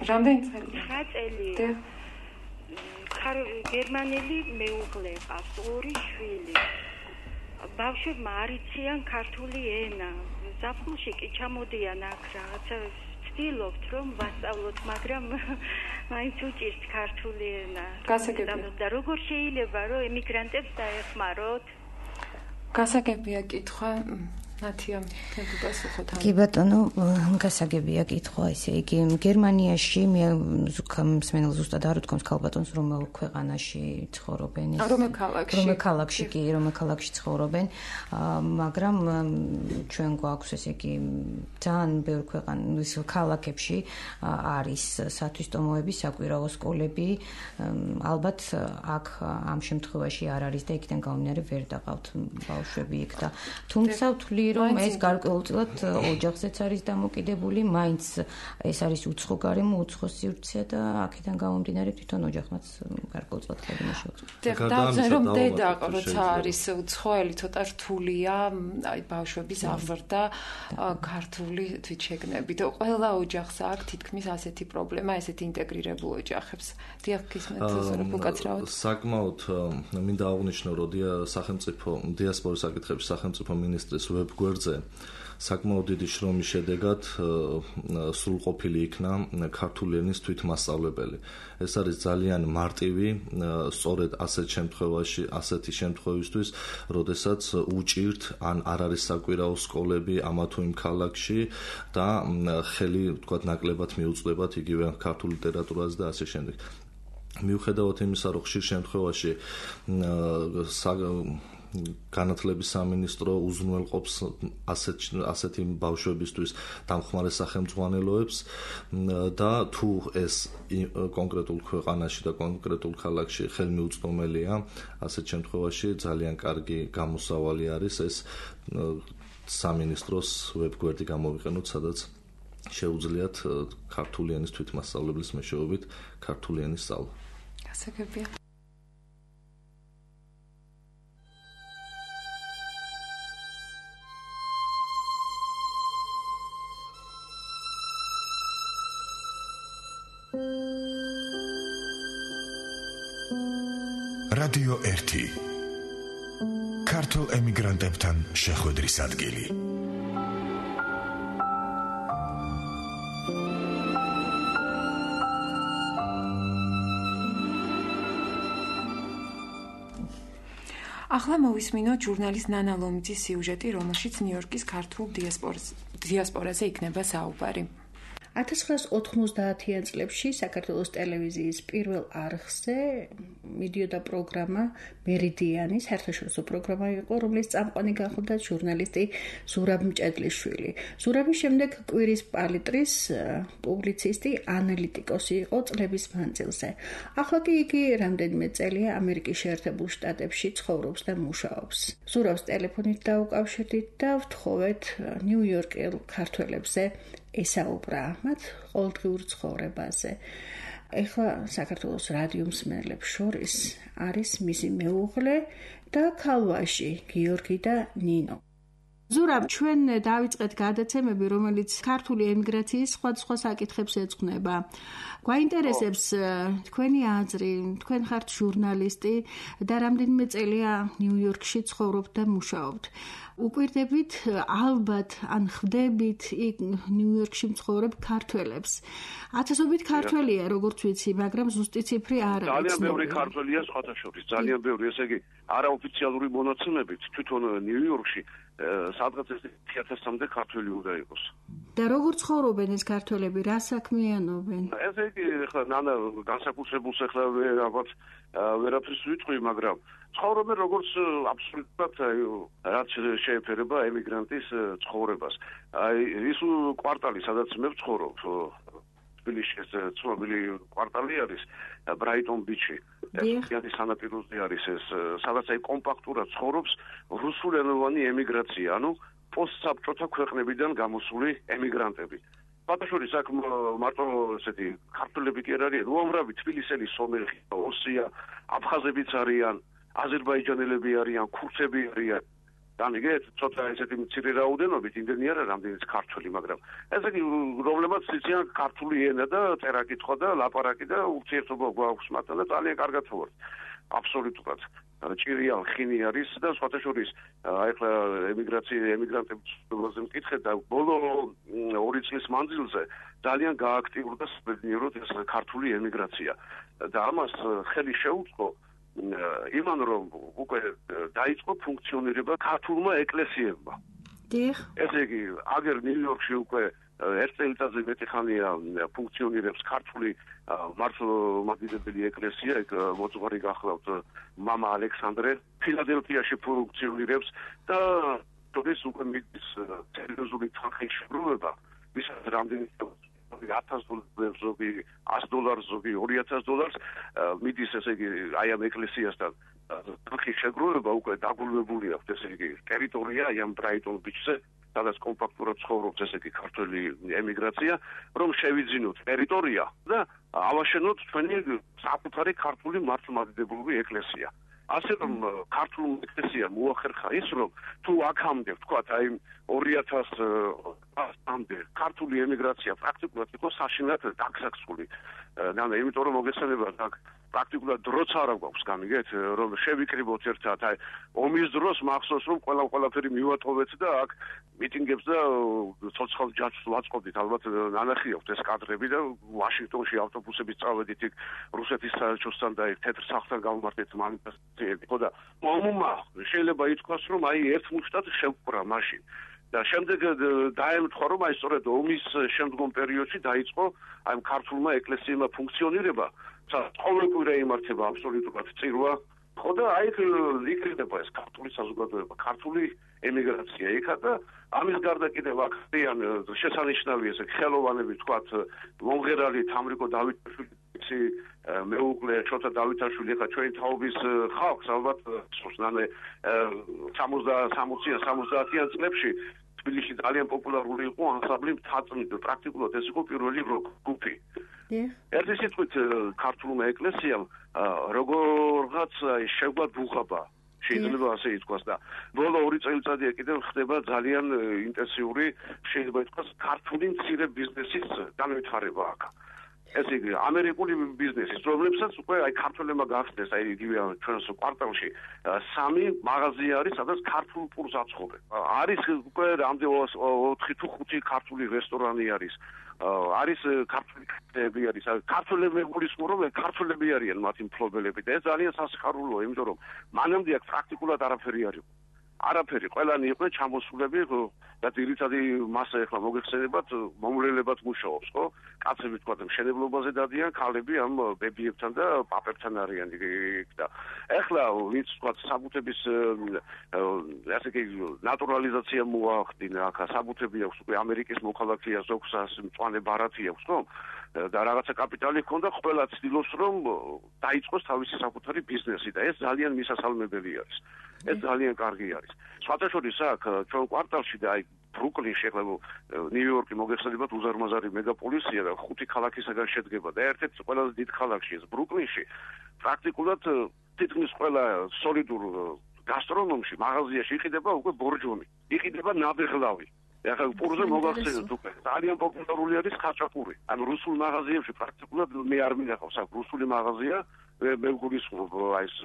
რამდენი წელი? ცხრა წელი. გერმანელი მეუღლე ყავს, ორი შვილი. ბავშვებმა არ იციან ქართული ენა. ზაფხულში კი ჩამოდიან აქ რაღაცა ვცდილობთ რომ ვასწავლოთ, მაგრამ მაინც უჭირთ ქართული ენა. გასაგებია. და როგორ შეიძლება რომ ემიგრანტებს დაეხმაროთ? გასაგებია კითხვა. ნათია, გასახოთ. კი ბატონო, გასაგებია კითხვა, ისე იგი გერმანიაში მე მსმენელ ზუსტად არ ვთქვამს ქალბატონს, რომელ ქვეყანაში ცხოვრობენ ეს. რომელ ქალაქში? რომელ ქალაქში კი, რომელ ქალაქში ცხოვრობენ, მაგრამ ჩვენ გვაქვს ესე იგი ძალიან ბევრ ქვეყანაში, ქალაქებში არის სათვისტომოები, საკვირაო სკოლები, ალბათ აქ ამ შემთხვევაში არ არის და იქიდან გამომდინარე ვერ დაყავთ ბავშვები იქ და თუმცა ვთვლი რომ ეს გარკვეულწილად ოჯახზეც არის დამოკიდებული, მაინც ეს არის უცხო გარემო, უცხო სივრცე და აქედან გამომდინარე თვითონ ოჯახმაც გარკვეულწილად ხელი შეუწყობს. დავწერე რომ დედა როცა არის უცხოელი ცოტა რთულია, აი ბავშვების აღზრდა ქართული თვითშეგნებით. ყველა ოჯახს აქვს თითქმის ასეთი პრობლემა, ესეთი ინტეგრირებულ ოჯახებს. დიახ, გისმენთ ზურაბ უკაცრავად. საკმაოდ მინდა აღვნიშნო, რომ სახელმწიფო დიასპორის საკითხების სახელმწიფო მინისტრის ვებგვერდზე საკმაოდ დიდი შრომის შედეგად სრულყოფილი იქნა ქართული ენის თვითმასწავლებელი. ეს არის ძალიან მარტივი, სწორედ ასეთ შემთხვევაში, ასეთი შემთხვევისთვის, როდესაც უჭირთ ან არ არის საკვირაო სკოლები ამა თუ იმ ქალაქში და ხელი, ვთქვათ, ნაკლებად მიუწვდებათ იგივე ქართულ ლიტერატურაზე და ასე შემდეგ. მიუხედავად იმისა, რომ ხშირ შემთხვევაში განათლების სამინისტრო უზრუნველყოფს ასეთ ასეთი ბავშვებისთვის დამხმარე სახელმძღვანელოებს და თუ ეს კონკრეტულ ქვეყანაში და კონკრეტულ ქალაქში ხელმიუწვდომელია, ასეთ შემთხვევაში ძალიან კარგი გამოსავალი არის ეს სამინისტროს ვებგვერდი გამოვიყენოთ, სადაც შეუძლიათ ქართული ენის თვითმასწავლებლის მეშვეობით ქართული ენის სწავლა. გასაგებია. რადიო ერთი ქართულ ემიგრანტებთან შეხვედრის ადგილი. ახლა მოვისმინოთ ჟურნალის ნანა ლომიძის სიუჟეტი, რომელშიც ნიუ-იორკის ქართულ დიასპორაზე იქნება საუბარი. ათას ცხრაას ოთხმოცდაათიან წლებში საქართველოს ტელევიზიის პირველ არხზე მიდიოდა პროგრამა მერიდიანი, საერთაშორისო პროგრამა იყო, რომლის წამყვანი გახლდა ჟურნალისტი ზურაბ მჭედლიშვილი. ზურაბის შემდეგ კვირის პალიტრის პუბლიცისტი, ანალიტიკოსი იყო წლების მანძილზე. ახლა კი იგი რამდენიმე წელია ამერიკის შეერთებულ შტატებში ცხოვრობს და მუშაობს. ზურაბს ტელეფონით დაუკავშირდით და ვთხოვეთ ნიუ-იორკელ ქართველებზე ესაუბრა მათ ყოველდღიურ ცხოვრებაზე. ეხლა საქართველოს რადიო მსმენელებს შორის არის მისი მეუღლე და ქალვაში გიორგი და ნინო. ზურაბ, ჩვენ დავიწყეთ გადაცემები, რომელიც ქართული ემიგრაციის სხვადასხვა საკითხებს ეძღვნება. გვაინტერესებს თქვენი აზრი, თქვენ ხართ ჟურნალისტი და რამდენიმე წელია ნიუ-იორკში ცხოვრობთ და მუშაობთ. უკვირდებით ალბათ ან ხვდებით იქ ნიუ-იორკში მცხოვრებ ქართველებს. ათასობით ქართველია, როგორც ვიცი, მაგრამ ზუსტი ციფრი არ არის. ძალიან ბევრი ქართველია სხვათა შორის, ძალიან ბევრი, ესე იგი, არაოფიციალური მონაცემებით თვითონ ნიუ-იორკში სადღაც ერთი ათასამდე ქართველი უნდა იყოს. და როგორ ცხოვრობენ ეს ქართველები, რა საქმიანობენ? ესე იგი, ხა ნანა განსაკუთრებულს ახლა რაღაც ვერაფერს ვიტყვი, მაგრამ ცხოვრობენ როგორც აბსოლუტურად რაც შეეფერება ემიგრანტის ცხოვრებას. აი ის კვარტალი, სადაც მე ვცხოვრობ, თბილისში ეს ცნობილი კვარტალი არის ბრაიტონ ბიჩი. ეს სანაპიროზე არის ეს, სადაც აი კომპაქტურად ცხოვრობს რუსულენოვანი ემიგრაცია, ანუ პოსტსაბჭოთა ქვეყნებიდან გამოსული ემიგრანტები. ბატოშორის აქ მარტო ესეთი ქართველები კი არ არიან, უამრავი თბილისელი სომეხი, ოსია, აფხაზებიც არიან, აზერბაიჯანელები არიან, ქურთები არიან. დამიგეთ, ცოტა ესეთი მცირე რაოდენობით, იმდენი არა რამდენიც ქართველი, მაგრამ ესე იგი პრობლემაც იციან ქართული ენა და წერა-კითხვა და ლაპარაკი და ურთიერთობა გვაქვს მათთან და ძალიან კარგად ვართ. აბსოლუტურად. ჭირიან ხინი არის და სხვათა შორის აი ახლა ემიგრაცია ემიგრანტების პრობლემაზე მკითხეთ და ბოლო ორი წლის მანძილზე ძალიან გააქტიურდა საბედნიეროდ ეს ქართული ემიგრაცია და ამას ხელი შეუწყო იმან რომ უკვე დაიწყო ფუნქციონირება ქართულმა ეკლესიებმა. დიახ. ესე იგი, აგერ ნიუ-იორკში უკვე ერთ წელიწადზე მეტი ხანია ფუნქციონირებს ქართული მართლმადიდებელი ეკლესია, ეგ მოძღვარი გახლავთ მამა ალექსანდრე, ფილადელფიაში ფუნქციონირებს და თორეს უკვე მიდის სერიოზული თანხის შეგროვება, ვისაც რამდენი ზოგი ათას დოლარს, ზოგი ას დოლარს, ზოგი ორი ათას დოლარს მიდის, ესე იგი, აი ამ ეკლესიასთან ხი შეგროვება უკვე დაგულვებული აქვს, ესე იგი, ტერიტორია აი ამ ბრაიტონ ბიჩზე, სადაც კომპაქტურად ცხოვრობს, ესე იგი, ქართველი ემიგრაცია, რომ შევიძინოთ ტერიტორია და ავაშენოთ თქვენი საკუთარი ქართული მართლმადიდებლური ეკლესია. ასე რომ ქართულ ეკლესიამ მოახერხა ის, რომ თუ აქამდე, ვთქვათ, აი ორი ათას წლამდე ქართული ემიგრაცია პრაქტიკულად იყო საშინლად დაგსაქსული. და იმიტომ რომ მოგეცემება აქ პრაქტიკულად დროც არ აქვს, გამიგეთ, რომ შევიკრიბოთ ერთად, აი ომის დროს მახსოვს რომ ყველა ყველაფერი მივატოვეთ და აქ მიტინგებს და ცოცხალ ჯაჭვს ვაწყობდით, ალბათ ნანახი აქვს ეს კადრები და ვაშინგტონში ავტობუსებით წავედით იქ რუსეთის საელჩოსთან და ერთ თეთრ სახლთან გავმართეთ მანიფესტაციები. ხო და ომმა შეიძლება ითქვას, რომ აი ერთ მუშტად შევკვრა მაშინ. და შემდეგ დაემთხვა, რომ აი სწორედ ომის შემდგომ პერიოდში დაიწყო აი ქართულმა ეკლესიებმა ფუნქციონირება, სადაც ყოველკვირა იმართება აბსოლუტურად წირვა. ხო და აი იქნება ეს ქართული საზოგადოება, ქართული ემიგრაცია იქა და ამის გარდა კიდევ აქციან შესანიშნავი ესე ხელოვანები, თქვათ, მომღერალი თამრიკო დავითაშვილი, მეუღლე შოთა დავითაშვილი, ხა ჩვენი თაობის ხალხს ალბათ სულთანე სამოციან წლებში თბილისში ძალიან პოპულარული იყო ანსამბლი მთაწმიდ, პრაქტიკულად ეს იყო პირველი როკ-ჯგუფი. ერთი სიტყვით ქართულმა ეკლესიამ როგორღაც შეგვა დუღაბა, შეიძლება ასე ითქვას და ბოლო ორი წელიწადია კიდევ ხდება ძალიან ინტენსიური, შეიძლება ითქვას, ქართული მცირე ბიზნესის განვითარება აქ. ესე იგი, ამერიკული ბიზნესის, რომლებსაც უკვე აი ქართველებმა გახსნეს, აი იგივე ჩვენს კვარტალში სამი მაღაზია არის, სადაც ქართულ პურს აცხობენ. არის უკვე რამდენი ოთხი თუ ხუთი ქართული რესტორანი არის. არის ქართული კაფეები არის, ქართველები გულისხმობენ, ქართველები არიან მათი მფლობელები და ეს ძალიან სასიხარულოა, იმიტომ რომ მანამდე აქ პრაქტიკულად არაფერი არ იყო. არაფერი, ყველანი იყვნენ ჩამოსულები და ძირითადი მასა ეხლა მოგეხსენებათ, მომრელებად მუშაობს, ხო? კაცები თქვა და მშენებლობაზე დადიან, ქალები ამ ბებიებთან და პაპებთან არიან იქ და ეხლა ვინც თქვა საბუთების ასე კი ნატურალიზაცია მოახდინა, აქ საბუთები აქვს უკვე ამერიკის მოქალაქეა, ზოგს მწვანე ბარათი აქვს, ხო? და რაღაცა კაპიტალი ჰქონდა, ყველა ცდილობს რომ დაიწყოს თავისი საკუთარი ბიზნესი და ეს ძალიან მისასალმებელი არის. ეს ძალიან კარგი არის. სხვათაშორის აქ ჩვენ კვარტალში და აი ბრუკლინში, ახლა ნიუ-იორკი მოგეხსენებათ უზარმაზარი მეგაპოლისია და ხუთი ქალაქისაგან შედგება და ერთ-ერთი ყველაზე დიდ ქალაქში ეს ბრუკლინში პრაქტიკულად თითქმის ყველა სოლიდურ გასტრონომში, მაღაზიაში იყიდება უკვე ბორჯომი, იყიდება ნაბეღლავი. ახლა პურზე მოგახსენებთ უკვე ძალიან პოპულარული არის ხაჭაპური. ანუ რუსულ მაღაზიებში პრაქტიკულად მე არ მინახავს აქ რუსული მაღაზია, მე გულისხმობ აი ეს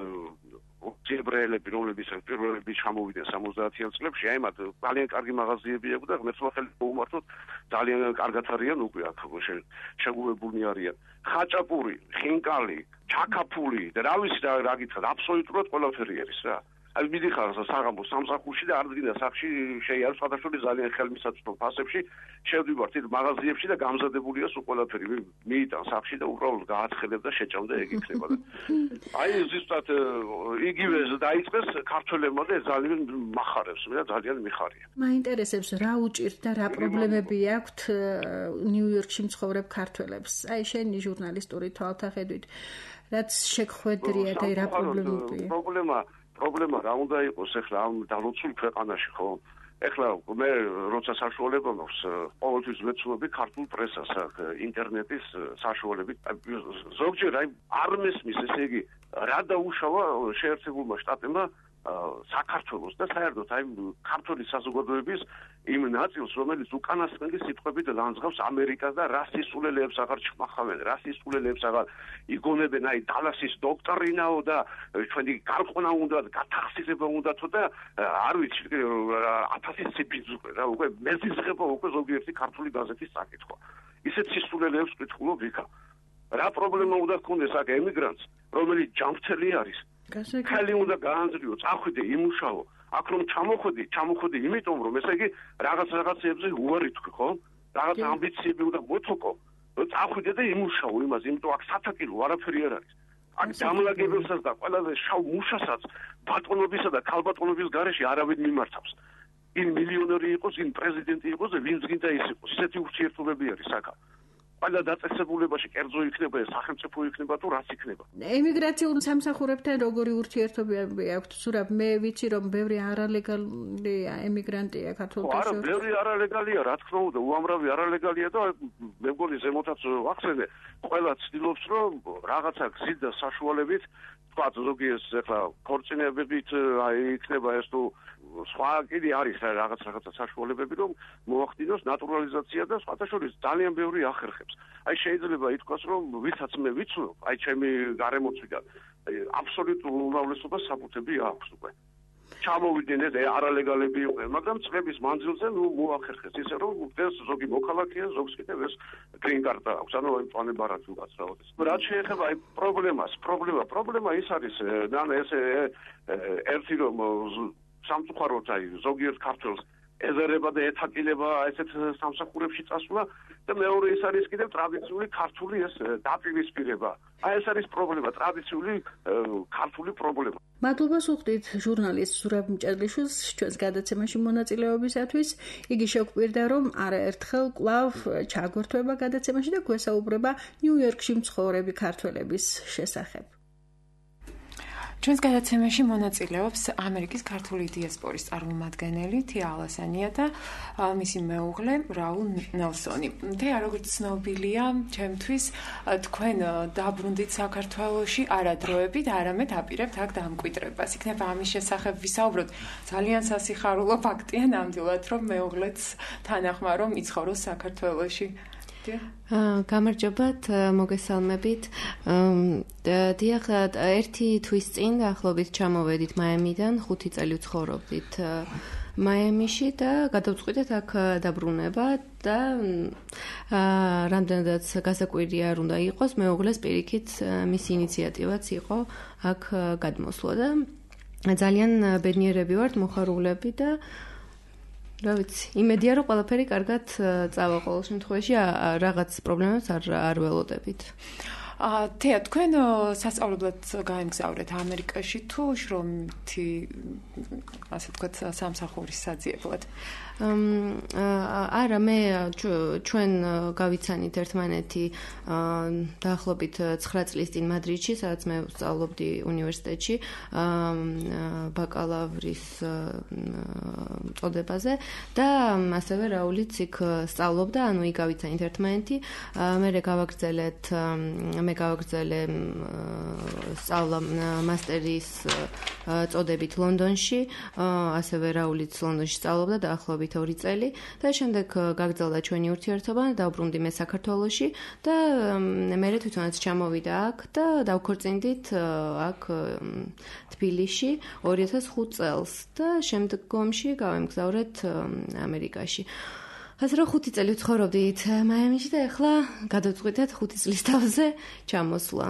ებრაელები, რომლებიც პირველები ჩამოვიდნენ სამოცდაათიან წლებში, აი მათ ძალიან კარგი მაღაზიები აქვს და ღმერთმა ხელი მოუმართოთ, ძალიან კარგად არიან უკვე აქ შეგუებულნი არიან. ხაჭაპური, ხინკალი, ჩაკაფული და რა ვიცი რა გითხრათ, აბსოლუტურად ყველაფერი არის რა. აი მიდიხარ საღამოს სამსახურში და არ დგინდა სახში შეიარს სხვადასხვა ძალიან ხელმისაწვდო ფასებში შევდივართ იმ მაღაზიებში და გამზადებულია სულ ყველაფერი მიიტან სახში და უბრალოდ გააცხელებ და შეჭამ და ეგ იქნება და აი ზუსტად იგივე დაიწყეს ქართველებმა და ძალიან מחარებს მე და ძალიან მიხარია. მაინტერესებს რა უჭირთ და რა პრობლემები აქვთ ნიუ-იორკში მცხოვრებ ქართველებს. აი შენი ჟურნალისტური თვალთახედვით რაც შეგხვედრიათ აი რა პრობლემებია? პრობლემა პრობლემა რა უნდა იყოს ახლა ამ დალოცულ ქვეყანაში, ხო? ახლა მე როცა საშუალება მაქვს, ყოველთვის ვეცნობი ქართულ პრესას, ინტერნეტის საშუალებით. ზოგჯერ აი არ მესმის, ესე იგი, რა დაუშავა შეერთებულმა შტატებმა საქართველოს და საერთოდ აი ქართული საზოგადოების იმ ნაწილს, რომელიც უკანასკნელი სიტყვებით ლანძღავს ამერიკას და რასისტულელებს აღარ ჩმახავენ, რასისტულელებს აღარ იგონებენ, აი დალასის დოქტრინაო და ჩვენი გარყונה უნდა, გათახსიზება უნდათო და არ ვიცი, ათასი ციფრის უკვე რა, უკვე მეზიზღება უკვე ზოგიერთი ქართული გაზეთის საკითხვა. ისეთ სისტულელებს ვკითხულობ იქა. რა პრობლემა უნდა გქონდეს აქ ემიგრანტს, რომელიც ჯანმრთელი არის? ხელი უნდა გაანძრიო, წახვიდე, იმუშაო. აქ რომ ჩამოხვედი, ჩამოხვედი იმიტომ რომ ესე იგი რაღაც რაღაცებზე უარი თქვი, ხო? რაღაც ამბიციები უნდა მოთოკო. წახვიდე და იმუშაო იმას, იმიტომ აქ სათაკილო არაფერი არ არის. აქ დამლაგებელსაც და ყველაზე შავ მუშასაც ბატონობისა და ქალბატონობის გარეშე არავინ მიმართავს. ინ მილიონერი იყოს, ინ პრეზიდენტი იყოს და ვინც გინდა ის იყოს. ისეთი ურთიერთობები არის აქ. ყველა დაწესებულებაში კერძო იქნება, სახელმწიფო იქნება თუ რაც იქნება. ემიგრაციულ სამსახურებთან როგორი ურთიერთობები აქვთ? სურაბ, მე ვიცი რომ ბევრი არალეგალი ემიგრანტია ქართულ არა, ბევრი არალეგალია, რა თქმა უნდა, უამრავი არალეგალია და მე მგონი ზემოთაც ვახსენე, ყველა ცდილობს რომ რაღაცა გზით და საშუალებით თქვა ზოგი ეს ახლა ქორწინებებით აი იქნება ეს თუ სხვა კიდე არის რაღაც რაღაცა საშუალებები რომ მოახდინოს ნატურალიზაცია და სხვათა შორის ძალიან ბევრი ახერხებს. აი შეიძლება ითქვას რომ ვისაც მე ვიცნობ, აი ჩემი გარემოცვიდან აი აბსოლუტურ უმრავლესობას საფუძვები აქვს უკვე. ჩამოვიდნენ ეს არალეგალები იყვნენ, მაგრამ წლების მანძილზე ნუ მოახერხეს ისე რომ ეს ზოგი მოქალაქეა, ზოგს კიდევ ეს green card აქვს, ანუ აი პლანება რაც უგაცრავდეს. რაც შეეხება აი პრობლემას, პრობლემა, პრობლემა ის არის, და ეს ერთი რომ სამწუხაროდ აი ზოგიერთ ქართველს ეზერება და ეთაკილება ესეთ სამსახურებში წასვლა და მეორე ის არის კიდევ ტრადიციული ქართული ეს დაპირისპირება. აი ეს არის პრობლემა, ტრადიციული ქართული პრობლემა. მადლობა სუხდით ჟურნალისტ სურაბ მჭედლიშვილს ჩვენს გადაცემაში მონაწილეობისათვის. იგი შეგვკვირდა რომ არაერთხელ კვლავ ჩაგვერთვება გადაცემაში და გვესაუბრება ნიუ-იორკში მცხოვრები ქართველების შესახებ. ჩვენს გადაცემაში მონაწილეობს ამერიკის ქართული დიასპორის წარმომადგენელი თია ალასანია და მისი მეუღლე რაულ ნელსონი. თია, როგორც ცნობილია, ჩემთვის თქვენ დაბრუნდით საქართველოში არადროებით, არამედ აპირებთ აქ დამკვიდრებას. იქნება ამის შესახებ ვისაუბროთ. ძალიან სასიხარულო ფაქტია ნამდვილად, რომ მეუღლეც თანახმა რომ იცხოვროს საქართველოში. გამარჯობათ, მოგესალმებით. დიახ, ერთი თვის წინ დაახლოებით ჩამოვედით მაიამიდან, ხუთი წელი ვცხოვრობდით მაიამიში და გადავწყვიტეთ აქ დაბრუნება და რამდენადაც გასაკვირია არ უნდა იყოს, მეუღლეს პირიქით მისი ინიციატივაც იყო აქ გადმოსვლა და ძალიან ბედნიერები ვართ, მოხარულები და რა ვიცი, იმედია რომ ყველაფერი კარგად წავა ყოველ შემთხვევაში, რაღაც პრობლემებს არ არ ველოდებით. აა, თეა, თქვენ სასწავლებლად გაემგზავრეთ ამერიკაში თუ შრომითი, ასე ვთქვათ, სამსახურის საძიებლად? არა, მე ჩვენ გავიცანით ერთმანეთი დაახლოებით ცხრა წლის წინ მადრიდში, სადაც მე ვსწავლობდი უნივერსიტეტში ბაკალავრის წოდებაზე და ასევე რაულიც იქ სწავლობდა, ანუ იქ გავიცანით ერთმანეთი. მე გავაგრძელეთ მე გავაგრძელე სწავლა მასტერის წოდებით ლონდონში, ასევე რაულიც ლონდონში სწავლობდა დაახლოებით ორი წელი და შემდეგ გაგრძელდა ჩვენი ურთიერთობა, დავბრუნდი მე საქართველოში და მე თვითონაც ჩამოვიდა აქ და დავქორწინდით აქ თბილისში ორი ათას ხუთ წელს და შემდგომში გავემგზავრეთ ამერიკაში. ასე რომ ხუთი წელი ვცხოვრობდით მაიამიში და ახლა გადავწყვიტეთ ხუთი წლის თავზე ჩამოსვლა.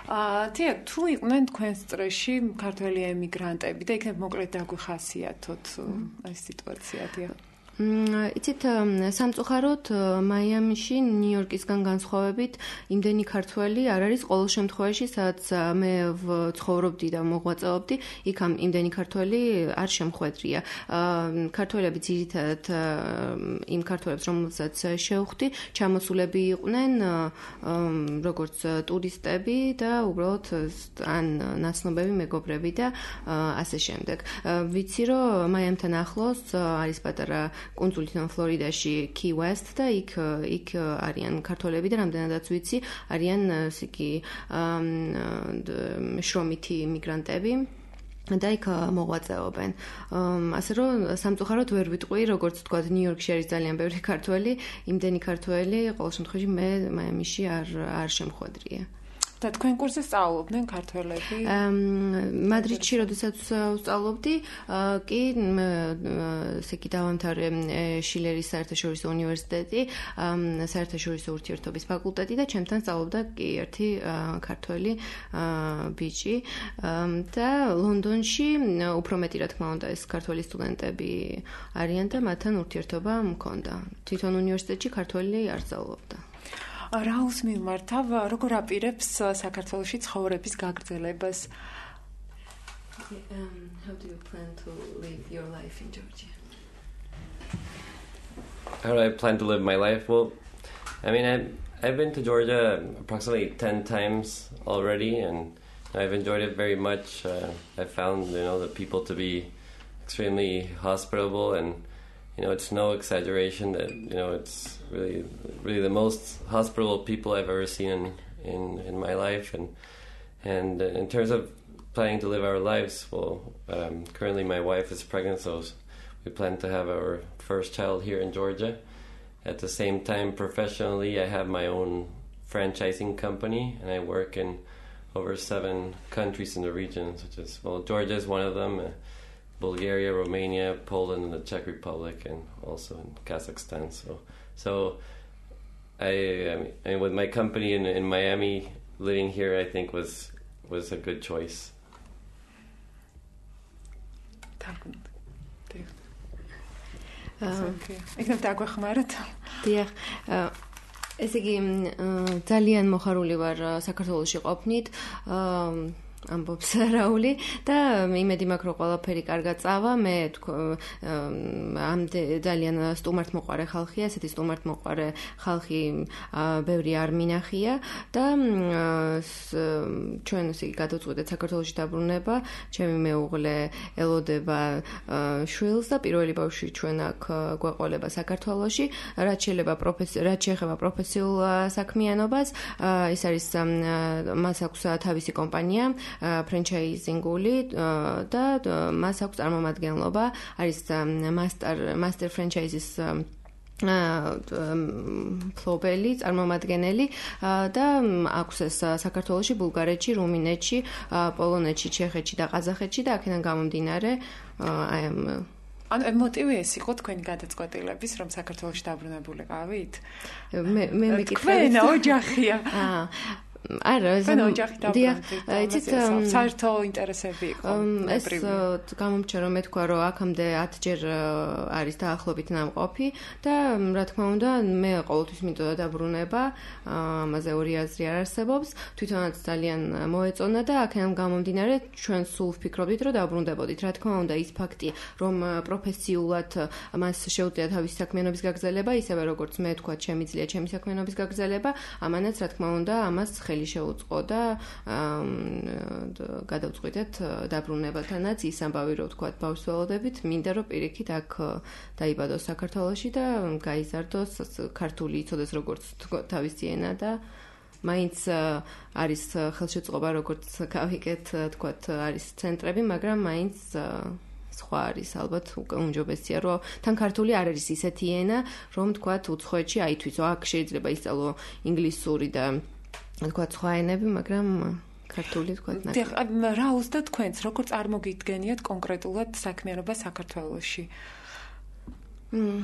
აა, თია, თუ იყვნენ თქვენს წრეში ქართველი ემიგრანტები და იქნებ მოკლედ დაგვიხასიათოთ ეს სიტუაცია, თია? იცით, სამწუხაროდ მაიამიში ნიუ-იორკისგან განსხვავებით იმდენი ქართველი არ არის ყოველ შემთხვევაში, სადაც მე ვცხოვრობდი და მოღვაწეობდი, იქ იმდენი ქართველი არ შემხვედრია. ქართველები ძირითადად იმ ქართველებს, რომელსაც შევხვდი, ჩამოსულები იყვნენ როგორც ტურისტები და უბრალოდ ან ნაცნობები მეგობრები და ასე შემდეგ. ვიცი, რომ მაიამთან ახლოს არის პატარა კუნძულიდან ფლორიდაში Key West და იქ იქ არიან ქართველები და რამდენადაც ვიცი არიან ესე იგი შრომითი მიგრანტები და იქ მოღვაწეობენ. ასე რომ სამწუხაროდ ვერ ვიტყვი, როგორც თქვა, ნიუ-იორკში არის ძალიან ბევრი ქართველი, იმდენი ქართველი ყოველ შემთხვევაში მე მაიამიში არ არ შემხვედრია. და თქვენ კურსზე სწავლობდნენ ქართველები? მადრიდში როდესაც ვსწავლობდი, კი ესე იგი დავამთავრე შილერის საერთაშორისო უნივერსიტეტი, საერთაშორისო ურთიერთობის ფაკულტეტი და ჩემთან სწავლობდა კი ერთი ქართველი ბიჭი და ლონდონში უფრო მეტი რა თქმა უნდა ეს ქართველი სტუდენტები არიან და მათთან ურთიერთობა მქონდა. თვითონ უნივერსიტეტში ქართველი არ სწავლობდა. რაულს მიმართავ, როგორ აპირებს საქართველოში ცხოვრების გაგრძელებას? Um, how do you plan to live your life in Georgia? How do I plan to live my life? Well, I mean, I've, I've been to Georgia approximately ten times already, and I've enjoyed it very much. Uh, I found, you know, the people to be extremely hospitable, and, you know, it's no exaggeration that, you know, it's really, really the most hospitable people I've ever seen in, in, in my life. And, and in terms of planning to live our lives, well, um, currently my wife is pregnant, so we plan to have our first child here in Georgia. At the same time, professionally, I have my own franchising company, and I work in over seven countries in the region, such as, well, Georgia is one of them, uh, Bulgaria, Romania, Poland, and the Czech Republic, and also in Kazakhstan. So, so I, I mean, and with my company in, in Miami, living here, I think was was a good choice. იქნებ დაგვეხმაროთ. დიახ. ესე იგი ძალიან მოხარული ვარ საქართველოში ყოფნით. ამბობს რაული და იმედი მაქვს რომ ყველაფერი კარგად წავა. მე ამ ძალიან სტუმართმოყვარე ხალხია, ესეთი სტუმართმოყვარე ხალხი ბევრი არ მინახია და ჩვენ ესე იგი გადავწყვეტეთ საქართველოში დაბრუნება. ჩემი მეუღლე ელოდება შვილს და პირველი ბავშვი ჩვენ აქ გვეყოლება საქართველოში. რაც შეიძლება პროფესიულ რაც შეეხება პროფესიულ საქმიანობას, ის არის მას აქვს თავისი კომპანია ფრენჩაიზინგული და მას აქვს წარმომადგენლობა, არის master master franchises ფლობელი, წარმომადგენელი და აქვს ეს საქართველოში, ბულგარეთში, რუმინეთში, პოლონეთში, ჩეხეთში და ყაზახეთში და აქედან გამომდინარე I am ანუ მოტივი ეს იყო თქვენი გადაწყვეტილების, რომ საქართველოში დაბრუნებულიყავით? მე მე მეკითხები. თქვენ ოჯახია. აა არა, ეს იცით საერთო ინტერესები იყო. ეს გამომჩა რომ მეთქვა რომ აქამდე ათჯერ არის დაახლოებით ნამყოფი და რა თქმა უნდა მე ყოველთვის მინდოდა დაბრუნება, ამაზე ორი აზრი არ არსებობს. თვითონაც ძალიან მოეწონა და აქედან გამომდინარე ჩვენ სულ ვფიქრობდით რომ დაბრუნდებოდით. რა თქმა უნდა ის ფაქტი რომ პროფესიულად მას შეუძლია თავისი საქმიანობის გაგრძელება, ისევე როგორც მე თქვა შემიძლია ჩემი საქმიანობის გაგრძელება, ამანაც რა თქმა უნდა ამას ხელი შეუწყო და გადავწყვიტეთ დაბრუნებათანაც ის ამბავი რომ თქვა ბავშვს ველოდებით, მინდა რომ პირიქით აქ დაიბადოს საქართველოში და გაიზარდოს ქართული იცოდეს როგორც თავისი ენა და მაინც არის ხელშეწყობა როგორც გავიგეთ თქვა არის ცენტრები, მაგრამ მაინც სხვა არის ალბათ უმჯობესია რომ თან ქართული არ არის ისეთი ენა რომ თქვა უცხოეთში აითვისო, აქ შეიძლება ისწავლო ინგლისური და თქვა სხვა ენები, მაგრამ ქართული თქვა ნაკლებია. დიახ, რა უზდა თქვენს, როგორ წარმოგიდგენიათ კონკრეტულად საქმიანობა საქართველოში? მმ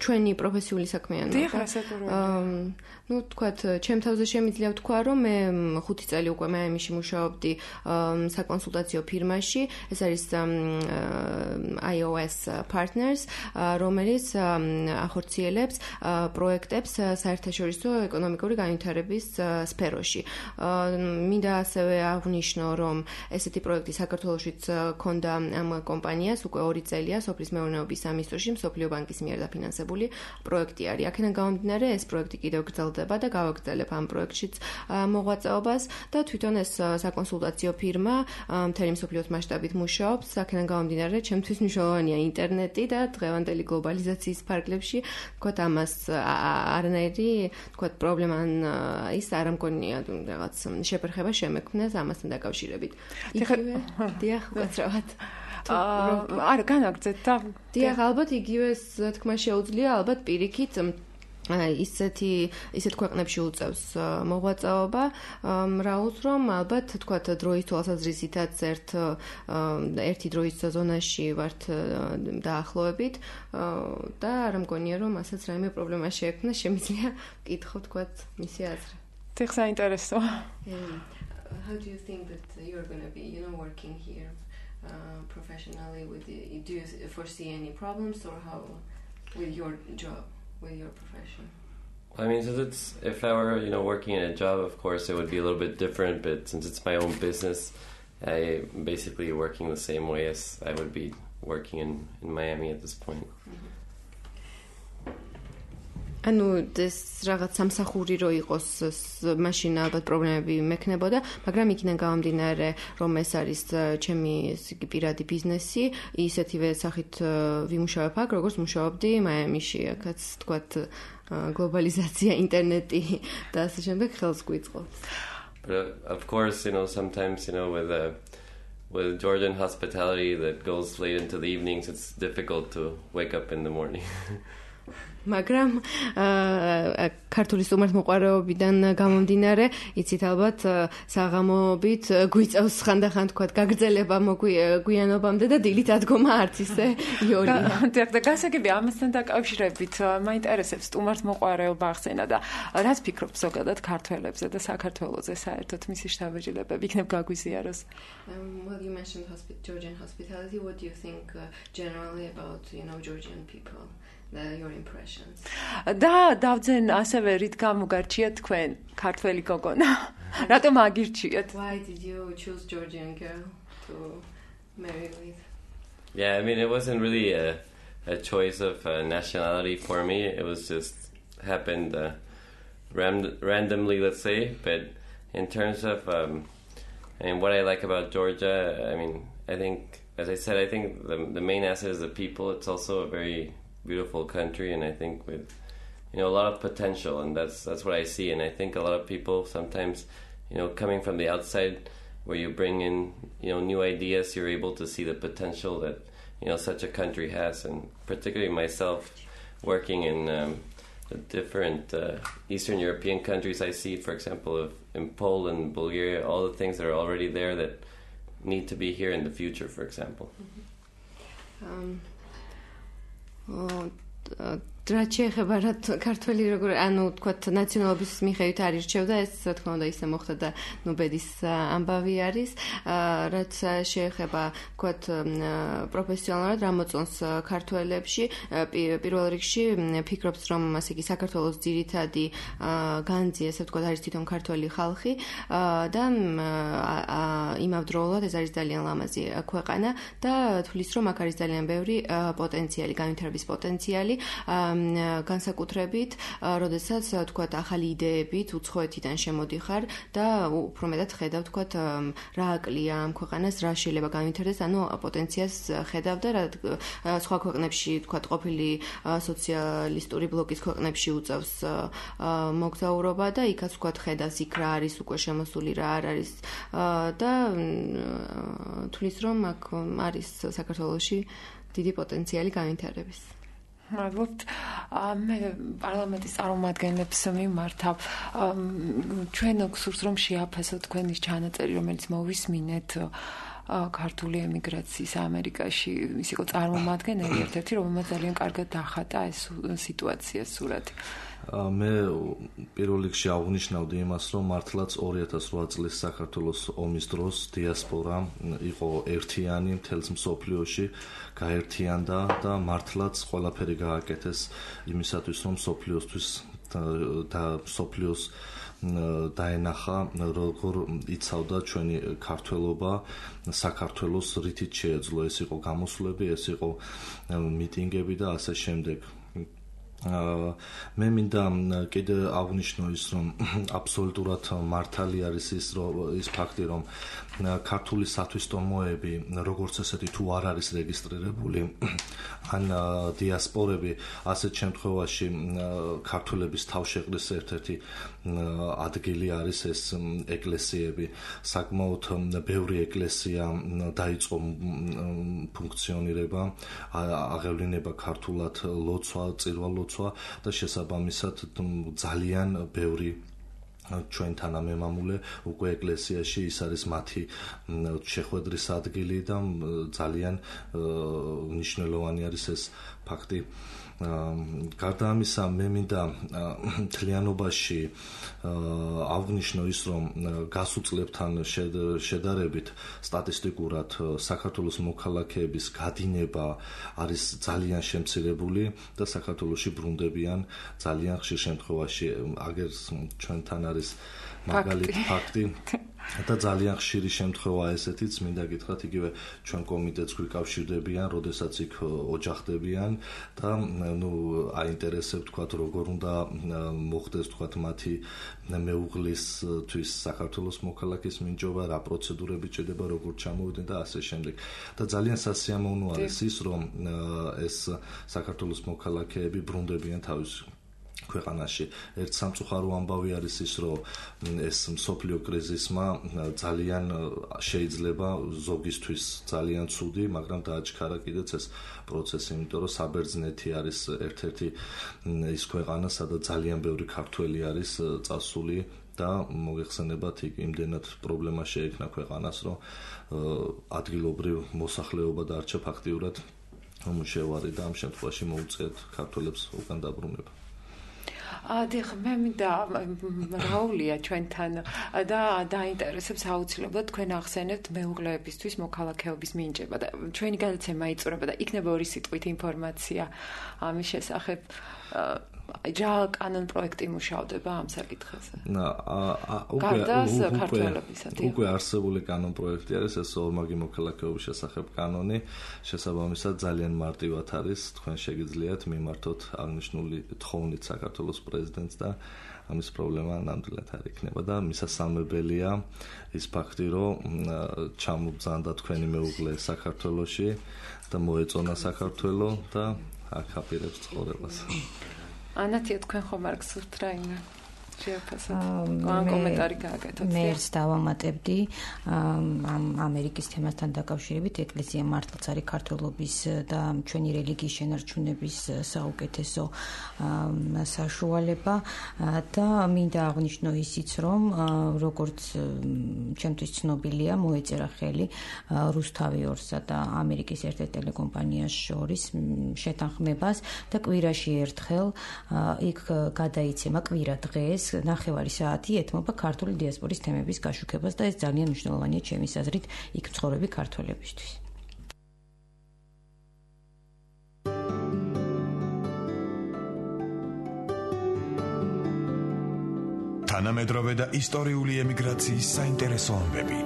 ჩვენი პროფესიული საქმიანობა. დიახ, რასაკურველია. ну, თქვათ, ჩემ თავზე შემიძლია ვთქვა, რომ მე ხუთი წელი უკვე მაიამიში მუშაობდი საკონსულტაციო ფირმაში. ეს არის I O S Partners, რომელიც ახორციელებს პროექტებს საერთაშორისო ეკონომიკური განვითარების სფეროში. მინდა ასევე აღვნიშნო, რომ ესეთი პროექტი საქართველოშიც ქონდა ამ კომპანიას უკვე ორი წელია სოფლის მეურნეობის სამინისტროში, მსოფლიო ბანკის მიერ დაფინანსებული პროექტი არის. აქედან გამომდინარე, ეს პროექტი კიდევ გრძელდება და გავაგრძელებ ამ პროექტშიც მოღვაწეობას და თვითონ ეს საკონსულტაციო ფირმა მთელი მსოფლიოს მასშტაბით მუშაობს. აქედან გამომდინარე, ჩემთვის მნიშვნელოვანია ინტერნეტი და დღევანდელი გლობალიზაციის ფარგლებში, თქვათ, ამას არანაირი, თქვათ, პრობლემა ის არ მგონია რაღაც შეფერხება შემექმნეს ამასთან დაკავშირებით. იგივე, დიახ, უცრავად. არა, განაგრძეთ და დიახ, ალბათ იგივე თქმა შეუძლია, ალბათ პირიქით ისეთი ისეთ ქვეყნებში უწევს მოღვაწეობა, რაუს რომ ალბათ თქვათ დროის თვალსაზრისითაც ერთ ერთი დროის ზონაში ვართ დაახლოებით და არ მგონია რომ ასაც რაიმე პრობლემა შეექმნა, შემიძლია ვკითხო თქვათ მისი აზრი. დიახ, საინტერესო. How do you think that you're going to be, you know, working here uh, professionally with the, do you foresee any problems or how with your job? With your profession? I mean, since it's if I were, you know, working in a job, of course, it would be a little bit different. But since it's my own business, I basically working the same way as I would be working in, in Miami at this point. ანუ ეს რაღაც სამსახური რო იყოს მაშინ ალბათ პრობლემები მექნებოდა, მაგრამ იქიდან გამომდინარე, რომ ეს არის ჩემი პირადი ბიზნესი, ისეთივე სახით ვიმუშავებ აქ, როგორც მუშაობდი მაიამიში, აქაც თქვათ გლობალიზაცია, ინტერნეტი და ასე შემდეგ ხელს გვიწყობს. But of course, you know, sometimes, you know, with uh, with Georgian hospitality that goes late into the evenings, it's difficult to wake up in the morning. მაგრამ ქართული სტუმართმოყვარეობიდან გამომდინარე, იცით ალბათ საღამოობით გვიწევს ხანდახან თქვათ გაგრძელება მოგვიანობამდე და დილით ადგომა არც ისე იოლია. და გასაგები ამასთან დაკავშირებით მაინტერესებს სტუმართმოყვარეობა ახსენა და რაც ფიქრობთ ზოგადად ქართველებზე და საქართველოზე საერთოდ მისი შთაბეჭდილებები იქნებ გაგვიზიაროს. Well, you mentioned Georgian hospitality. What do you think uh, generally about, you know, Georgian people? The, your impressions. და დავძენ ასევე რით გამოგარჩიათ თქვენ ქართველი გოგონა. რატომ აგირჩიეთ? Why did you choose Georgian girl to marry with? Yeah, I mean, it wasn't really a, a choice of uh, nationality for me. It was just happened uh, ram- randomly, let's say. But in terms of um, and what I like about Georgia, I mean, I think, as I said, I think the the main asset is the people. It's also a very beautiful country, and I think with, you know, a lot of potential, and that's that's what I see. And I think a lot of people sometimes, you know, coming from the outside, where you bring in, you know, new ideas, you're able to see the potential that, you know, such a country has. And particularly myself, working in um, the different uh, Eastern European countries, I see, for example, of in Poland, Bulgaria, all the things that are already there that need to be here in the future, for example. Mm-hmm. Um. რაც შეეხება რა ქართველი როგორ ანუ თქვათ ნაციონალობის მიხედვით არ ირჩევდა ეს რა თქმა უნდა ისე მოხდა და ნუ ბედის ამბავი არის რაც შეეხება თქვათ პროფესიონალურად რა მოწონს ქართველებში პირველ რიგში ფიქრობს რომ ასე იგი საქართველოს ძირითადი განძი ესე ვთქვათ არის თვითონ ქართველი ხალხი და იმავდროულად ეს არის ძალიან ლამაზი ქვეყანა და თulis რომ აქ არის ძალიან ბევრი პოტენციალი განვითარების პოტენციალი განსაკუთრებით, როდესაც თქვათ ახალი იდეებით უცხოეთიდან შემოდიხარ და უფრო მეტად ხედავ თქვათ რა აკლია ამ ქვეყანას, რა შეიძლება განვითარდეს, ანუ პოტენციალს ხედავ და რა სხვა ქვეყნებში თქვათ ყოფილი სოციალისტური ბლოკის ქვეყნებში უწევს მოგზაურობა და იქაც თქვათ ხედავს იქ რა არის უკვე შემოსული, რა არ არის და თulis რომ აქ არის საქართველოში დიდი პოტენციალი განვითარების. მადლობთ. მე პარლამენტის წარმომადგენლებს მიმართავ. ჩვენ გსურს რომ შეაფასოთ თქვენი ჩანაწერი, რომელიც მოვისმინეთ ქართული ემიგრაციის ამერიკაში. ის იყო წარმომადგენელი ერთ-ერთი, რომელმაც ძალიან კარგად დახატა ეს სიტუაცია, სურათი. მე პირველ რიგში აღნიშნავდი იმას, რომ მართლაც ორი ათას რვა წლის საქართველოს ომის დროს დიასპორა იყო ერთიანი მთელს მსოფლიოში, გაერთიანდა და მართლაც ყველაფერი გააკეთეს იმისათვის, რომ მსოფლიოსთვის და მსოფლიოს დაენახა როგორ იცავდა ჩვენი ქართველობა საქართველოს რითიც შეეძლო. ეს იყო გამოსვლები, ეს იყო მიტინგები და ასე შემდეგ. მე მინდა კიდე აღნიშნო ის, რომ აბსოლუტურად მართალი არის ის ის ფაქტი, რომ ქართული სათვისტომოები როგორც ესეთი თუ არ არის რეგისტრირებული ან დიასპორები, ასეთ შემთხვევაში ქართველების თავშეყრის ერთ-ერთი ადგილი არის ეს ეკლესიები. საკმაოდ ბევრი ეკლესია დაიწყო ფუნქციონირება, აღევლინება ქართულად ლოცვა, წირვა-ლოცვა და შესაბამისად ძალიან ბევრი ჩვენ თანამემამულე უკვე ეკლესიაში ის არის მათი შეხვედრის ადგილი და ძალიან მნიშვნელოვანი არის ეს ფაქტი. გარდა ამისა, მე მინდა მთლიანობაში აღნიშნო ის, რომ გასულ წლებთან შედარებით სტატისტიკურად საქართველოს მოქალაქეების გადინება არის ძალიან შემცირებული და საქართველოში ბრუნდებიან ძალიან ხშირ შემთხვევაში. აგერ ჩვენთან არის მაგალითი ფაქტი, და ძალიან ხშირი შემთხვევაა ესეთიც, მინდა გითხრათ, იგივე ჩვენ კომიტეტს გვიკავშირდებიან, როდესაც იქ ოჯახდებიან და ნუ აინტერესებს თქვათ როგორ უნდა მოხდეს თქვათ მათი მეუღლისთვის საქართველოს მოქალაქის მინჯობა, რა პროცედურები ჭირდება, როგორ ჩამოვიდნენ და ასე შემდეგ. და ძალიან სასიამოვნო არის ის, რომ ეს საქართველოს მოქალაქეები ბრუნდებიან თავის ქვეყანაში. ერთ სამწუხარო ამბავი არის ის, რომ ეს მსოფლიო კრიზისმა ძალიან შეიძლება ზოგისთვის ძალიან ცუდი, მაგრამ დააჩქარა კიდეც ეს პროცესი, იმიტომ რომ საბერძნეთი არის ერთ-ერთი ის ქვეყანა, სადაც ძალიან ბევრი ქართველი არის წასული და მოგეხსენებათ იქ იმდენად პრობლემა შეექმნა ქვეყანას, რომ ადგილობრივ მოსახლეობა დარჩა ფაქტიურად უმუშევარი და ამ შემთხვევაში მოუწიათ ქართველებს უკან დაბრუნება. დიახ, მე მინდა რაულია ჩვენთან და დაინტერესებს აუცილებლად თქვენ ახსენებთ მეუღლეებისთვის მოქალაქეობის მინიჭება და ჩვენი გადაცემა იწურება და იქნება ორი სიტყვით ინფორმაცია ამის შესახებ. რა კანონ პროექტი მუშავდება ამ საკითხებზე? უკვე არსებული კანონ პროექტი არის ეს ორმაგი მოქალაქეობის შესახებ კანონი, შესაბამისად ძალიან მარტივად არის, თქვენ შეგიძლიათ მიმართოთ აღნიშნული თხოვნით საქართველოს პრეზიდენტს და ამის პრობლემა ნამდვილად არ იქნება და მისასალმებელია ის ფაქტი, რომ ჩამობრძანდა თქვენი მეუღლე საქართველოში და მოეწონა საქართველო და აქ აპირებს ცხოვრებას. ანათია, თქვენ ხომ არ გსურთ რაიმე შეაფასოთ? ან კომენტარი გააკეთოთ? მე ერთ დავამატებდი ამ ამერიკის თემასთან დაკავშირებით, ეკლესია მართლაც არის ქართველობის და ჩვენი რელიგიის შენარჩუნების საუკეთესო საშუალება და მინდა აღვნიშნო ისიც, რომ როგორც ჩემთვის ცნობილია, მოეწერა ხელი რუსთავი ორსა და ამერიკის ერთ-ერთ ტელეკომპანიას შორის შეთანხმებას და კვირაში ერთხელ იქ გადაიცემა კვირა დღეს ნახევარი საათი ეთმობა ქართული დიასპორის თემების გაშუქებას და ეს ძალიან მნიშვნელოვანია ჩემის აზრით იქ მცხოვრები ქართველებისთვის. თანამედროვე და ისტორიული ემიგრაციის საინტერესო ამბები,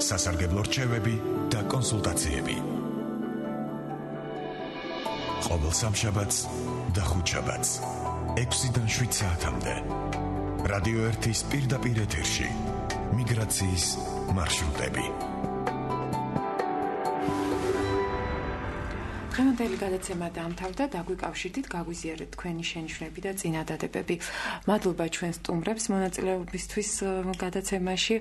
სასარგებლო რჩევები და კონსულტაციები. ყოველ სამშაბათს და ხუთშაბათს ექვსიდან შვიდ საათამდე რადიო ერთის პირდაპირ ეთერში მიგრაციის მარშრუტები. დღევანდელი გადაცემა დამთავრდა, დაგვიკავშირდით, გაგვიზიარეთ თქვენი შენიშვნები და წინადადებები. მადლობა ჩვენ სტუმრებს მონაწილეობისთვის გადაცემაში.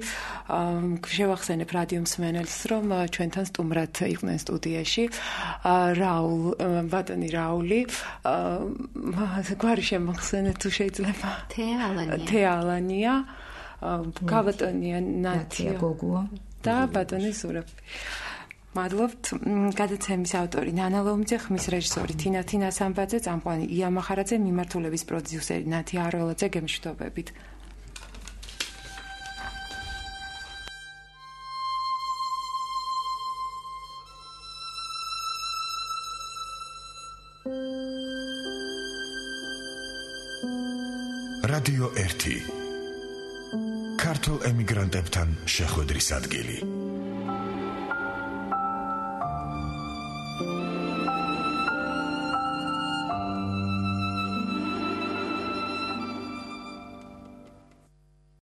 შევახსენებ რადიო მსმენელს, რომ ჩვენთან სტუმრად იყვნენ სტუდიაში რაულ, ბატონი რაული, გვარი შემახსენეთ თუ შეიძლება. თეალანია. თეალანია, გაბატონია ნათია გოგუა და ბატონი სურაბი. მადლობთ. გადაცემის ავტორი ნანა ლომძე, ხმის რეჟისორი თინა თინასამბაძე, წამყვანი ია მახარაძე, მიმართულების პროდიუსერი ნათია არველაძე, გემშვიდობებით. რადიო ერთი. ქართულ ემიგრანტებთან შეხვედრის ადგილი.